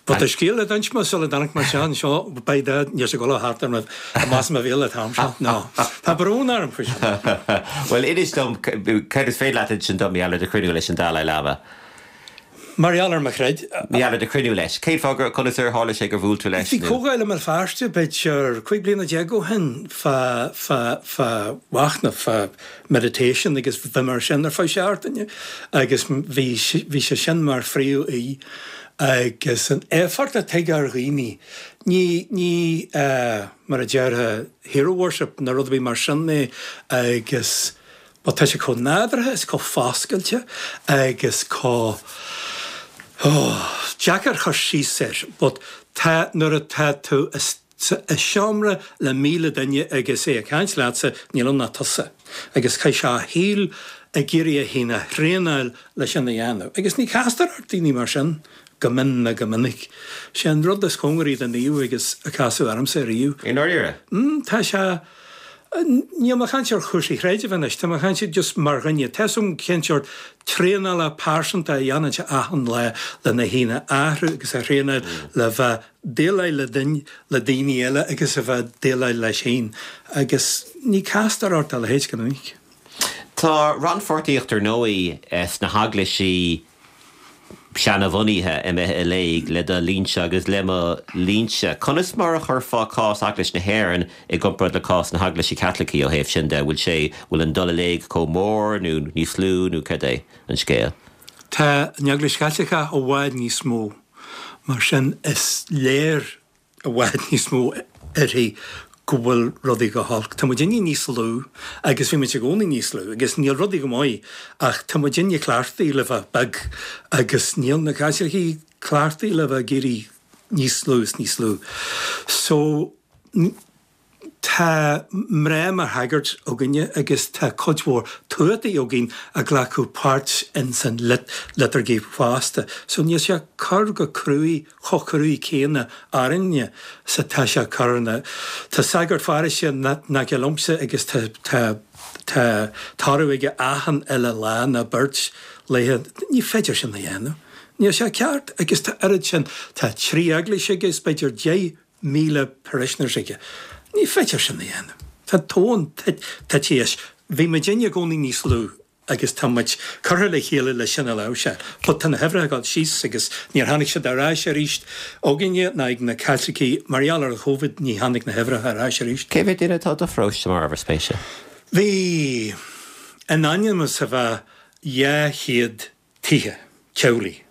But tá scéal le d'inis mé sula dtáinig mé isteach anseo, beidh dá, níl sé ag dul thart ar mo, amach as mo bhéal an t-am seo. No. Tá brón orm faoi sin. Bhuel, inis dom, céard is féidir leat insint dom mar gheall ar do chruinniú leis an Dalai Lama? Mar gheall ar mo chreid. Mar gheall ar do chruinniú leis. Cén fáth gur, conas ar tharla sé gur bhuail tú leis Bhí nó? comhdháil i mBéal Feirste b'fhéidir cúig bliana déag ó shin fá, fá, fá mhachnamh, fá meditation agus bheith mar sin ar feadh seachtaine agus bhí, bhí sé sin mar phríomh-aoi agus an éifeacht a tig ar dhaoine, ní, ní eh, mar a déarfá hero worship nó rud ar bith mar sin é agus But tá sé chomh nádúrtha is chomh foscailte agus chomh, oh, deacair cur síos air, but tá, nuair atá tú i seomra le míle duine agus é ag caint leatsa, níl ann ach tusa. Agus chaith sé a shaol ag iarraidh é féin a thraenáil le sin a dhéanamh. Agus ní castar ort daoine mar sin go mion ná go minic. Sé an rud is cóngaraí do naomh agus a casadh ormsa riamh. I ndáiríre? Mm, tá sé. Níl mé ag caint ar chúrsaí creidimh anois, tá mé ag caint just mar dhuine. Tá 'fhios a'm cén seort traenála pearsanta a dhéanann sé achan lá lena fhéin a athrú agus a thraenáil le bheith déileáil le duine, le daoine eile agus a bheith déileáil leis féin. Agus ní castar ort a leithéid go minic. Tá rannpháirtíocht ar ndóigh sna heaglaisí seanabhunaithe imithe i léig le do linnse agus le mo linnse. Conas mar a chuirfeá cás Eaglais na hÉireann i gcomparáid le cás na hEaglaise Caitlicí ó thaobh sin de? Bhfuil sé, bhfuil an dul i léig chomh mór nó níos lú nó cad é an scéal? Tá an Eaglais Chaitliceach i bhfad níos mó, mar sin is léir i bhfad níos mó uirthi go bhfuil rudaí go holc. Tá muidinne níos lú agus bhí muid i gcónaí níos lú agus níl rudaí go maith ach tá muidinne cleachtaithe le bheith beag agus níl na Caitlicigh cleachtaithe le bheith ag éirí níos lú is níos lú. So tá mná mar shagairt againne agus tá cuid mhór tuataí againn ag glacadh páirt ins an liturgy fosta. So níl sé ag cur go cruaidh, chomh cruaidh céanna orainne 's atá sé ag cur ar na, tá sagart pharóiste in aice liomsa agus tá, tá, tá tórramh aige achan uile lá nó beirt laethe. Ní féidir sin a dhéanamh. Níl sé ceart agus tá oiread sin, tá trí eaglais aige is b'fhéidir deich míle parishioners aige. Ní féidir sin a dhéanamh. Tá tóin tite as. Bhí muidinne i gcónaí níos lú agus tá muid curtha le chéile le sin a láimhseáil. But tá na huimhreacha ag dul síos agus níor tháinig siad ar ais arís againne ná ag na Caitlicigh. Mar gheall ar an Chovid ní tháinig na huimhreacha ar ais arís. Cé mhéad duine atá i do pharóiste mar ábhar spéise? Bhí in ainm is a bheith dhá chéad tithe, teaghlaigh.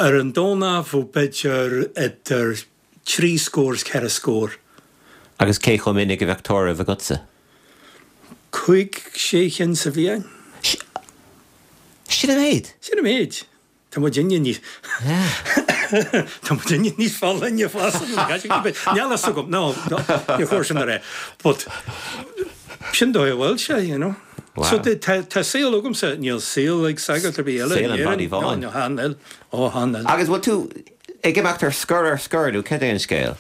Ar an Domhnach bheadh b'fhéidir idir trí scór is ceithre scór. Agus cé chomh minic a bheadh tórramh agatsa? Cúig, sé chinn sa bhliain. Sin an méid? Sin an méid. Tá muidinne níos Tá muidinne níos folláine fosta ná na Caitlicigh. Níl a fhios agam, no, níor chóir sin a rá. But sin dóigh a bhfuil sé, you know. Wow. So tá tá saol agamsa, níl saol ag sagart ar bith eile Saol in an Éirinn. body No, bháin. no, chan fhuil. Ó, chan fhuil. Agus bhfuil tú ag imeacht ar scor ar scor nó cad é an scéal?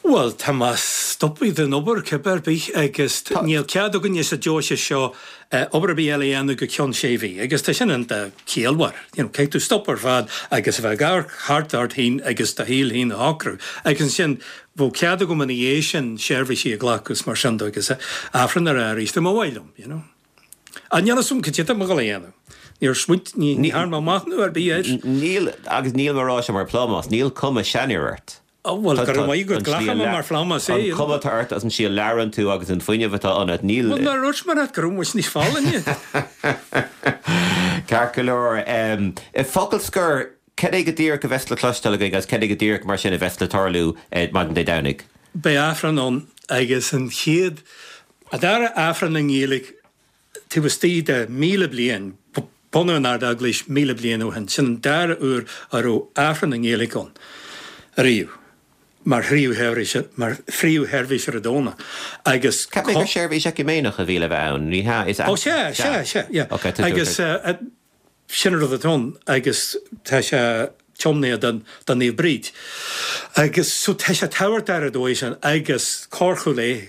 Bhuel, tá mé stoptha den obair cibé ar bith agus níl cead againne sa deoise seo obair ar bith eile a dhéanamh go ceann sé mhí agus tá sin iontach ciallmhar. You know, caithfidh tú stop ar fad agus a bheith ag amharc thart ort féin agus do shaol féin a shocrú. Agus ansin bheadh cead agam ina dhiaidh sin seirbhísí a ghlacadh is mar sin de agus Aifreann a rá arís dá mba mhaith liom, you know. Ach níl a fhios agam cad é atá mé ag dul a dhéanamh. Níor smaoint, ní dhearna mé machnamh ar bith air. Níl, agus níl mé ag rá seo mar phlámás, níl cuma seanfhir ort. Ó, bhuel, go raibh maith agat, glacaim é mar phlámás é. An chuma atá ort agus an tslí a labhrann tú agus an fuinneamh atá ionat, níl. Bhuel, nár dhúirt mé leat go raibh muid níos folláine? Ceart go leor. I bhfocal scoir, cad é go díreach a bheas le cloisteáil againn agus cad é go díreach mar sin a bheas le tarlú maidin Dé Domhnaigh? Beidh Aifreann ann agus an chéad, an dara Aifreann i nGaeilge taobh istigh de míle bliain, bunú an Ard-Eaglais míle bliain ó shin, sin an dara uair a raibh Aifreann i nGaeilge ann ariamh mar phríomhsheirbhís, mar phríomhsheirbhís ar an Domhnach agus. Cheap mé gur seirbhís eiciméineach a bhí le bheith ann, ní hea? Is Ó sea, sea, sea, yeah. Ok, tá tú Agus sin an rud atá ann agus tá sé tiomnaithe don, do Naomh Bríd. Agus so tá sé tábhachtach ar an dóigh sin agus Cór Chúil Aodha,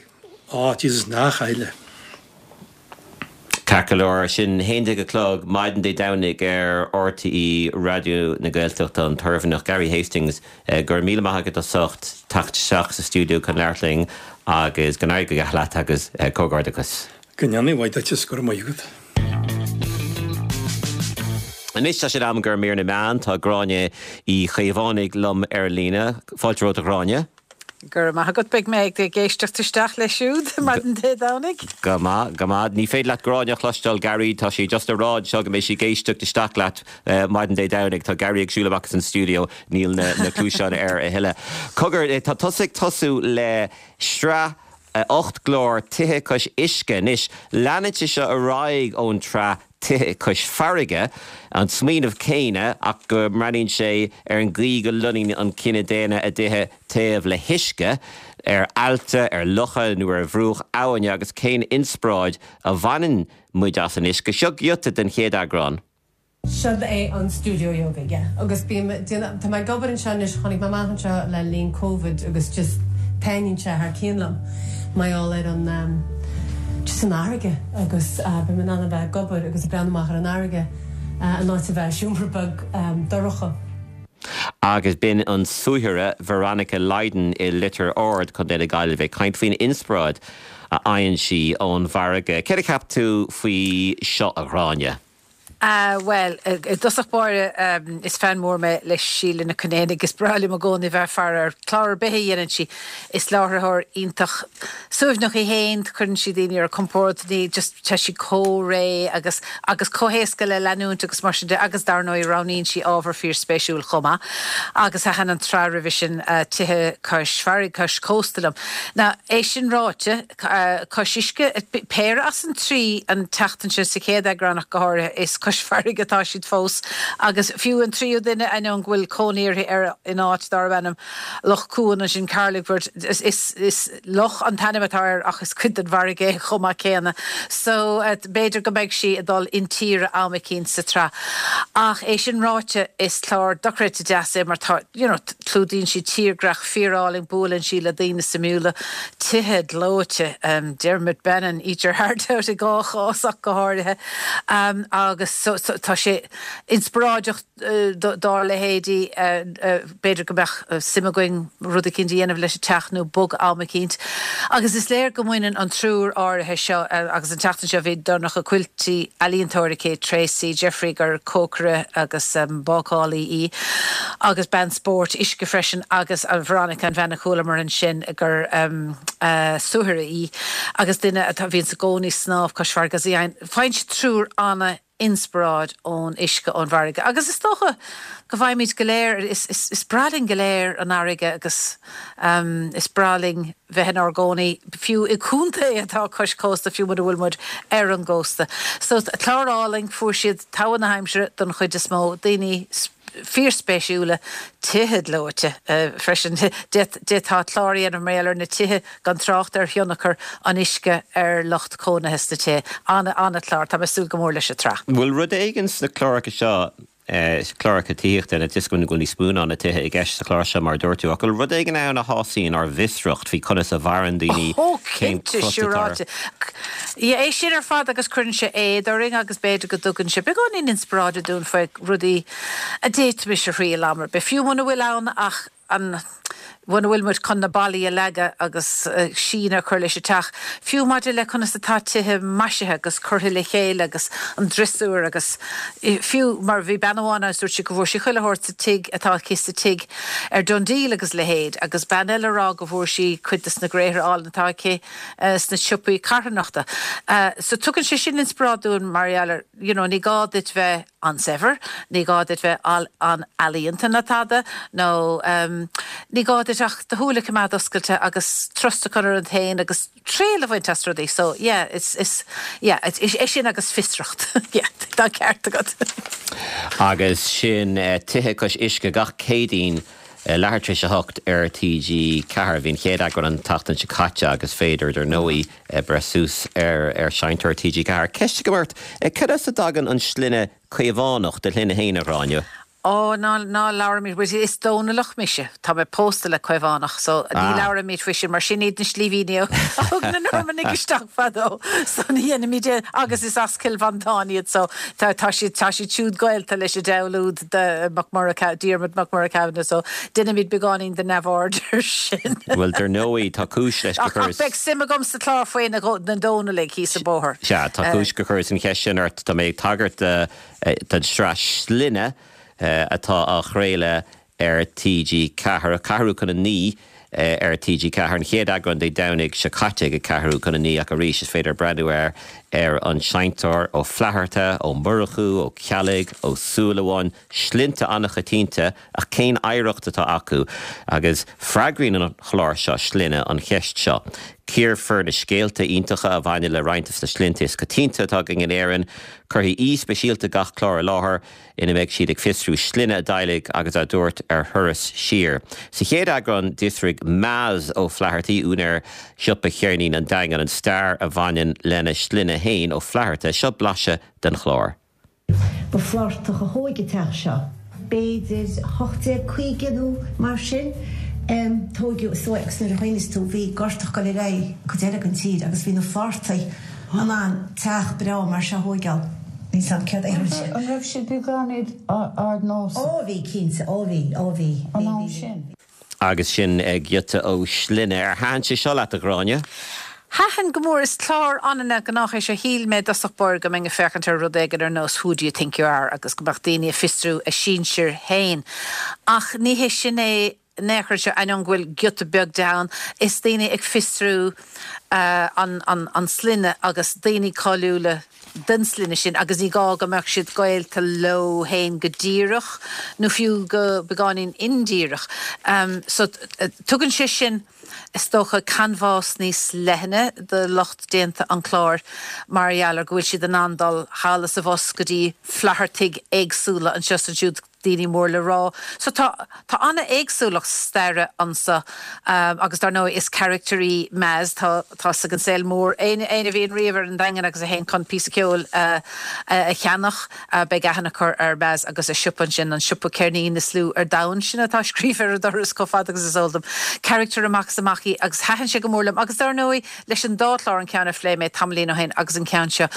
oh Jesus nach áille. Ceart go leor, sin haon déag a chlog maidin Dé Domhnaigh ar RTÉ Raidió na Gaeltachta, an tOirmhinneach Gary Hastings, go raibh míle maith agat as ucht teacht isteach sa stiúideo chun labhairt linn agus go n-éirí go geal leat agus comhghairdeachas. Go ndéana a mhaith duit is go raibh maith agat. Anois tá sé in am do mhír na meán, tá Gráinne Uí Chaomhánaigh liom ar líne. Fáilte romhat a Ghráinne. Go raibh maith agat, beidh mé ag éisteacht isteach leis siúd maidin Dé Domhnaigh. Go maith, go maith. Ní féidir leat Gráinne a chloisteáil, Gary, tá sí just ag rá anseo go mbeidh sí ag éisteacht isteach leat maidin Dé Domhnaigh. Tá Gary ag siúl amach as an stiúideo, níl na na cluaiseáin air a thuilleadh. Cogar, tá tusa ag tosú le sraith ocht gclár Tithe Cois Uisce. Anois, leanann sé seo ar aghaidh ón tsraith Tithe Cois Farraige, an smaoineamh céanna ach go mbreathnaíonn sé ar an gcaoi go lonnaíonn an cine daonna a dtithe taobh le huisce, ar aillte, ar locha nó ar bhruach abhainne agus cén inspioráid a bhaineann muid as an uisce. Seo giota den chéad eagrán. Seo é an stiúideo yoga, yeah. Agus bím, tá mé ag obair anseo anois, tháinig mé amach anseo le linn Covid agus just taitníonn sé thar cionn liom mar gheall ar an um, just an fharraige agus uh, bím in ann a bheith ag obair agus ag breathnú amach ar an fharraige uh, in áit a bheith i seomra beag um, dorcha. Agus b'in an suathire Veronica Lydon i Litir Ard, Contae na Gaillimhe, ag caint faoin inspioráid a fhaigheann sí ón bhfarraige. Céard a cheap tú faoi seo a Ghráinne? Ah, bhuel, i dtosach báire, is fan mór mé le Síle Nic Con Aodha agus is breá liom i gcónaí bheith ag faire ar chlár ar bith a dhéanann sí. Is láithreoir iontach suaimhneach í féin, cuireann sí daoine ar a compord, ní just tá sí chomh réidh agus agus chomh héasca le leanúint agus mar sin de agus dar ndóigh roghnaíonn sí ábhar fíorspéisiúil chomh maith. Agus thaitin an tsraith roimhe sin Tithe Cois Farraige, Cois Cósta liom. Now, é sin ráite, cois uisce, péire as an trí an tseachtain seo sa chéad eagrán ach go háirithe, is cois farraige atá siad fós agus fiú an tríú duine, ainneoin go bhfuil cónaí uirthi ar in áit darb ainm Loch Cuan ansin Carlingford, is, is, is loch an t-ainm atá air ach is cuid den bhfarraige é chomh maith céanna. So b'fhéidir go mbeidh sí ag dul intíre am eicínt sa tsraith. Ach é sin ráite, is clár dochreidte deas é mar tá, you know, clúdaíonn sí tírdhreach fíorálainn, buaileann sí le daoine suimiúla, tithe gleoite, Dermot Bannon, eat your heart out i dhá chás ach go háirithe, agus so, so, tá sé inspioráideach dár leithéidí, b'fhéidir go mbeadh suim againn rud eicínt a dhéanamh leis an teach nó bogadh am eicínt. Agus is léir go mbaineann an triúr áirithe seo, agus an tseachtain seo bhí Donncha Quilty, ealaíontóir aici, Tracey Jeffrey gur cócaire agus bácálaí í, agus bean spóirt uisce freisin, agus Veronica an bhean a chualamar ansin gur suathire í agus duine atá, bhíonn i gcónaí ag snámh cois farraige. Faigheann siad triúr ana. inspioráid ón uisce ón bhfarraige. Agus is dócha go bhfaighimid go léir, is, is, is breá linn go léir an fharraige agus um, is breá linn bheith inár gcónaí fiú i gcontae atá cois cósta fiú mura bhfuil muid ar an gcósta. So clár álainn fuair siad togha na haimsire don chuid is mó daoine fíorspéisiúla tithe gleoite freisin d'fhéadfá clár a dhéanamh mar gheall ar na tithe gan trácht ar thionchar an uisce ar lucht cónaithe sna tithe. An-chlár, tá mé ag súil go mór leis an tsraith. Bhfuil rud éigin sna cláracha seo cláracha tithíochta na disco go níos mó ná na tithe i gceist sa chlár seo mar dúirt tú, ach bhfuil rud éigin ann a shásaíonn ár bhfiosracht faoi conas a mhaireann daoine Ó cinnte siúráilte. É sin ar fad agus cuireann sé éad orainn agus b'fhéidir go dtugann sé beagáinín inspioráide dúinn faoi rudaí a d'fhéadfaimis a thriail am ar bith. Fiú muna bhfuil ann ach an muna bhfuil muid chun na ballaí a leagadh agus síneadh a chur leis an teach, fiú maidir le conas atá tithe maisithe agus curtha le chéile agus an driosúr agus fiú mar bhí bean amháin ann dúirt sí go bhfuair sí chuile shórt sa tigh atá aici sa tigh ar DoneDeal agus leithéid agus bean eile a rá go bhfuair sí cuid de na gréithre álainn atá aici sna siopaí carthanachta. So tugann sé sin inspioráid dúinn mar gheall ar you know, ní gá duit bheith an-saibhir, ní gá duit bheith an-ealaíonta ná tada nó um, ní gá duit ach do shúile a choimeád oscailte agus trust a chur ionat féin agus triail a bhaint as rudaí, so yeah, it's, it's, yeah, it's, é sin agus fiosracht yeah, tá ceart agat. Agus sin uh, tithe cois uisce gach Céadaoin uh, leathuair tar éis a hocht ar TG Ceathair bhí an chéad eagrán an tseachtain seo caite agus féidir dar ndóigh uh, breith suas ar ar seinnteoir TG Ceathair. Ceist go ort, uh, cad as a dtagann an sloinne Caomhánach do shloinne féin a Ghráinne? Ó ná ná labhraímid is Dónallach mise Tá mé pósta le Caomhánach so ní ah. labhraímid faoi sin mar sin iad na slívíní thug na Normannaigh isteach fadó so ní dhéanaimid agus is as Cill Mhantáin iad so tá tá siad tá siad siúd gaolta leis an diabhal úd de MacMurrough Diarmuid MacMurrough Kavanagh so déanaimid beagáinín de neamhaird air sin. Well dar ndóigh tá cúis leis go Ach beidh suim agam sa chlár faoi na na Dónallaigh thíos an bóthar. Sea tá cúis gur chuireas an cheist sin ort tá mé ag tagairt don tsraith Sloinne atá á chraoladh ar TG Ceathair ceathrú chun a naoi ar TG Ceathair an chéad eagrán Dé Domhnaigh seo caite ag ceathrú chun a naoi ach arís is féidir breathnú air ar an seinnteoir Ó Flatharta, Ó Murchú, Ó Ceallaigh, Ó Súilleabháin, sloinnte an-choitianta ach cén oidhreacht atá acu agus freagraíonn an chlár seo sloinne an cheist seo. Cíorfar na scéalta iontacha a bhaineann le roinnt de na sloinnte is coitianta atá againn in Éirinn, cuirfidh aoi speisialta gach clár i láthair ina mbeidh siad ag fiosrú sloinne a dteaghlaigh agus á dtabhairt ar thuras siar. Sa chéad eagrán d'fhiosraigh Maz Ó Flathartaí úinéir siopa cheirnín an Daingean an stair a bhaineann lena sloinne féin Ó Flatharta seo blaiseadh den chlár. Ba Flathartach a thóg an teach seo. B'fhéidir hocht déag caoga nó mar sin. Tógadh so agus nuair a chuimhníos tú bhí gorta ag dul ar aghaidh cuid eile den tír agus bhí na Flathartaigh in ann teach breá mar seo a thógáil. Níl 's a'm céard a tharla sin. An raibh siad beagáinín ardnósach? Ó bhí cinnte, ó bhí, ó bhí. An am sin. Agus sin giota ó Shloinne. Ar thaitin sé seo leat a Ghráinne? Thaitin go mór is clár an-ghnách é seo shíl mé i dtosach báire go mbeinn ag féachaint ar rud éigin ar nós Who do you think you are agus go mbeadh daoine ag fiosrú a sinsir féin. Ach ní hé sin é in aon chor seo ainneoin go bhfuil giota beag de ann, is daoine ag fiosrú an an sloinne agus daoine cáiliúla den sloinne sin agus ní gá go mbeadh siad gaolta leo féin go díreach nó fiú go beagáinín indíreach. So tugann sé sin is dócha canbhás níos leithne do lucht déanta an chláir mar gheall ar go bhfuil siad in ann dul thall is abhus go dtí Flathartaigh éagsúla anseo is ansiúd daoine mór le rá. So tá tá an-éagsúlacht staire anseo um, agus dar ndóigh is character í Maz tá tá ag an saol mór éinne a bhíonn riamh ar an Daingean agus a théann chun píosa ceoil uh, uh, a cheannach uh, beidh aithne acu ar Maz agus a siopa sin an siopa ceirnín is lú ar domhan sin atá scríofa ar a doras chomh fada agus is eol dom. Character amach is amach í agus thaitin sé go mór liom agus dar ndóigh leis an dá chlár an ceann a phléigh mé tamaillín ó shin agus an ceann seo.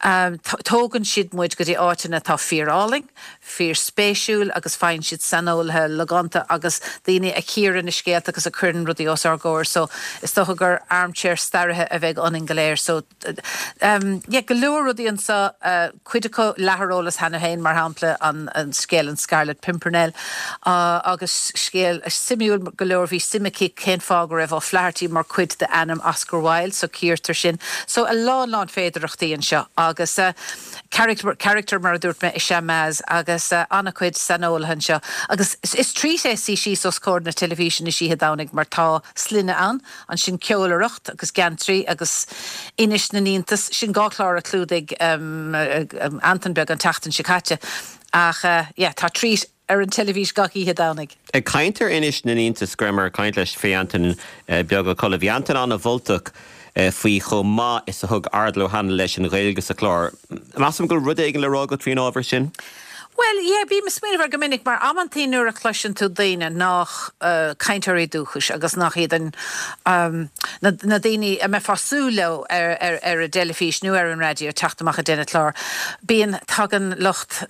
Um, tógann siad muid go dtí áiteanna atá fíorálainn, fíorspéisiúil agus faigheann siad saineolaithe logánta agus daoine a chíorann na scéalta agus a chuireann rudaí os ár gcomhair so is dócha gur armchair staraithe a bheidh ionainn go léir so um, yeah, go leor rudaí anseo uh, cuid acu leath ar eolas cheana féin mar shampla an, an scéal an Scarlet Pimpernel uh, agus scéal suimiúil go leor bhí suim aici cén fáth go raibh O'Flaherty mar chuid de ainm Oscar Wilde so cíortar sin so a lán lán féidearthachtaí anseo agus uh, Character, character mar a dúirt mé is ea Maz agus uh, an-chuid saineolaithe anseo. Agus is, is treat é suí síos os comhair na teilifíse na hoíche Domhnaigh mar tá sloinne ann, ansin ceolaireacht agus geantraí agus Inis na nIontas sin dhá chlár a chlúdaigh um, um, Antain Beag an tseachtain seo caite. Ach uh, yeah, tá treat ar an teilifís gach oíche Domhnaigh. Ag caint ar Inis na nIontas go rabhamar ag caint leis faoi Antain uh, Beag Ó Colla. Bhí Antain an-mholtach uh, faoi chomh maith is a thug Ardal Ó hAnluain leis an Ghaeilge sa chlár. Measaim go bhfuil rud éigin le rá agat faoin ábhar sin? Well, yeah, bím ag smaoineamh air go minic mar amantaí nuair a chloiseann tú daoine nach uh, cainteoirí dúchais agus nach iad an um, na, na daoine a mbeifeá ag súil leo ar, ar, ar an dteilifís nó ar an raidió teacht amach ag déanamh clár. Bíonn tagann lucht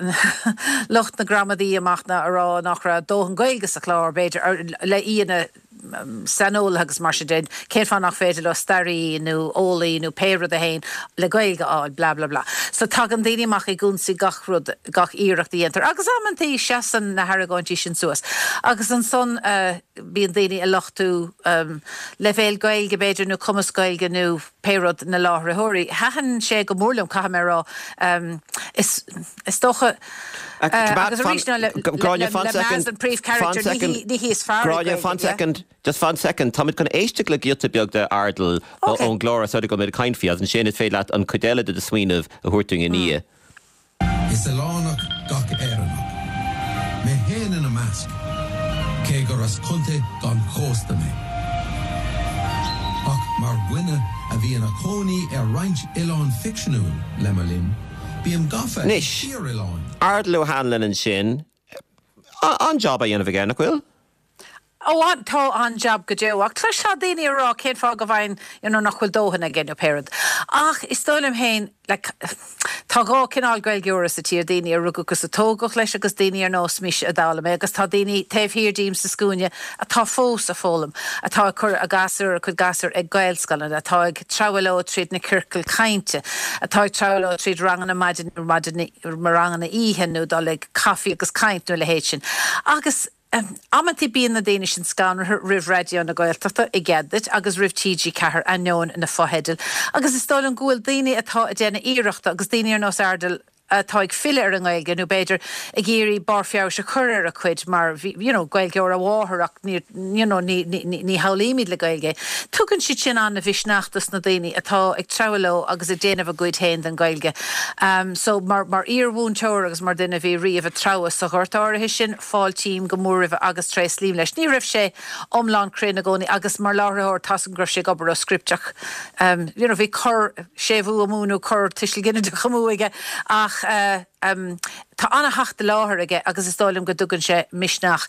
lucht na gramadaí amach na a rá nach raibh dóthain Gaeilge sa chlár b'fhéidir le aíonna saineolaithe agus mar sin de cén fáth nach féidir le staraí nó eolaí nó pé rud a haon le Gaeilge á bla bla bla. So tagann daoine amach ag ionsaí gach rud gach iarracht a dhéantar. Agus amantaí seasann na hargóintí sin suas. Agus ansan uh, bíonn daoine ag lochtú um, leibhéal Gaeilge b'fhéidir nó cumas Gaeilge nó pé rud na láithreoirí. Thaitin sé go mór liom caithfidh mé rá um, is, is dócha uh, agus arís le le príomhcharacter ní hí is fearr Gráinne fan second just fan second Táimid chun éisteacht le giota beag de Ardal ón gclár a go mé caint faoi ansin is féidir leat an chuid eile de do smaoineamh a thabhairt dúinn ina dhiaidh. Is oileánach gach Éireannach. Mé féin ina measc, cé gur as contae gan chósta mé. Ach mar dhuine a bhí ina chónaí ar roinnt oileán ficseanúil le mo linn, bím gafa Anois fíoroileáin. Ardal Ó hAnluain ansin an job a dhéanamh aige nach bhfuil? Ó an tá an jab go deo ach cloistear daoine ag rá cén fáth go bhfaigheann you know, nach bhfuil dóthain aige nó pé rud. Ach is dóigh liom féin like, tá dhá chineál Gaeilgeora sa tír daoine a rugadh agus a tógadh leis agus daoine ar nós mise a d'fhoghlaim é, agus tá daoine taobh thiar díom sa scuaine atá fós ag foghlaim, atá ag cur a gasúr a cuid gasúr ag Gaelscoileanna, atá ag treabhadh leo tríd na ciorcail cainte, atá ag treabhadh leo tríd ranganna maidin maidin ranganna oíche nó dul ag caife agus caint nó a leithéid sin. Agus Um, amantaí bíonn na daoine sin scanraithe roimh Raidió na Gaeltachta i gcead agus roimh TG Ceathair ainneoin na fotheidil. Agus is dóigh liom go bhfuil daoine atá ag déanamh iarrachta agus daoine ar nós Ardal atá ag filleadh ar an nGaeilge nó b'fhéidir ag iarraidh barr feabhais a chur ar a cuid mar you know, Gaeilgeoir a mháthair ach ní, you know, ní, ní, ní, ní shamhlaímid le Gaeilge. Tugann siad sin an-mhisneach dos na daoine atá ag treabhadh leo agus ag déanamh a gcuid féin den Ghaeilge. Um, so mar, mar iarmhúinteoir agus mar duine bhí riamh ag treabhadh sa ghort áirithe sin fáiltím go mór roimhe agus tréaslaím leis. Ní raibh sé iomlán cruinn i gcónaí agus mar láithreoir tá go raibh sé ag obair ó script ach um, you know, bhí cor séimhiú amú nó cor tuiseal ginideach amú aige ach uh, um, tá an-theacht i láthair aige agus is dóigh liom go dtugann sé misneach.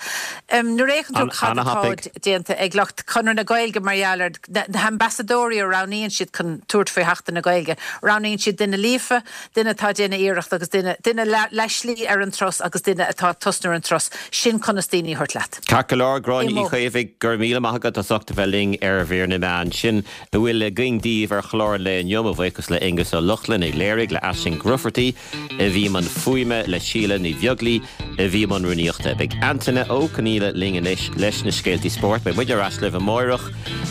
Um, Nuair a fhéachann tú cad atá déanta ag lucht Chonradh na Gaeilge mar gheall ar na hambasadóirí a roghnaíonn siad chun tabhairt faoi Sheachtain na Gaeilge. Roghnaíonn siad duine líofa, duine atá déanamh iarracht agus duine duine leath slí ar an turas agus duine atá tosnú ar an turas sin conas daoine a thabhairt leat. Ceart go leor Gráinne Uí Chaomhaigh gur míle maith agat as ucht a bheith linn ar Mhír na Meán sin a bhfuil againn daoibh ar chlár an lae inniu mo bhuíochas le Aengus Ó Lochlainn a léirigh le Aisling Grufferty a bhí i mbun fuaime le Síle Ní Bheaglaoí a bhí i mbun rúnaíochta. Beidh Antaine Ó Conghaile linn anois leis na scéaltaí spóirt, beidh muid ar ais libh amárach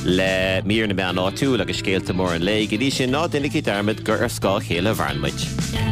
le mír na meán áitiúil agus scéalta móra an lae, go dtí sin ná déanaigí dearmad gur ar scáth a chéile a mhaireann muid.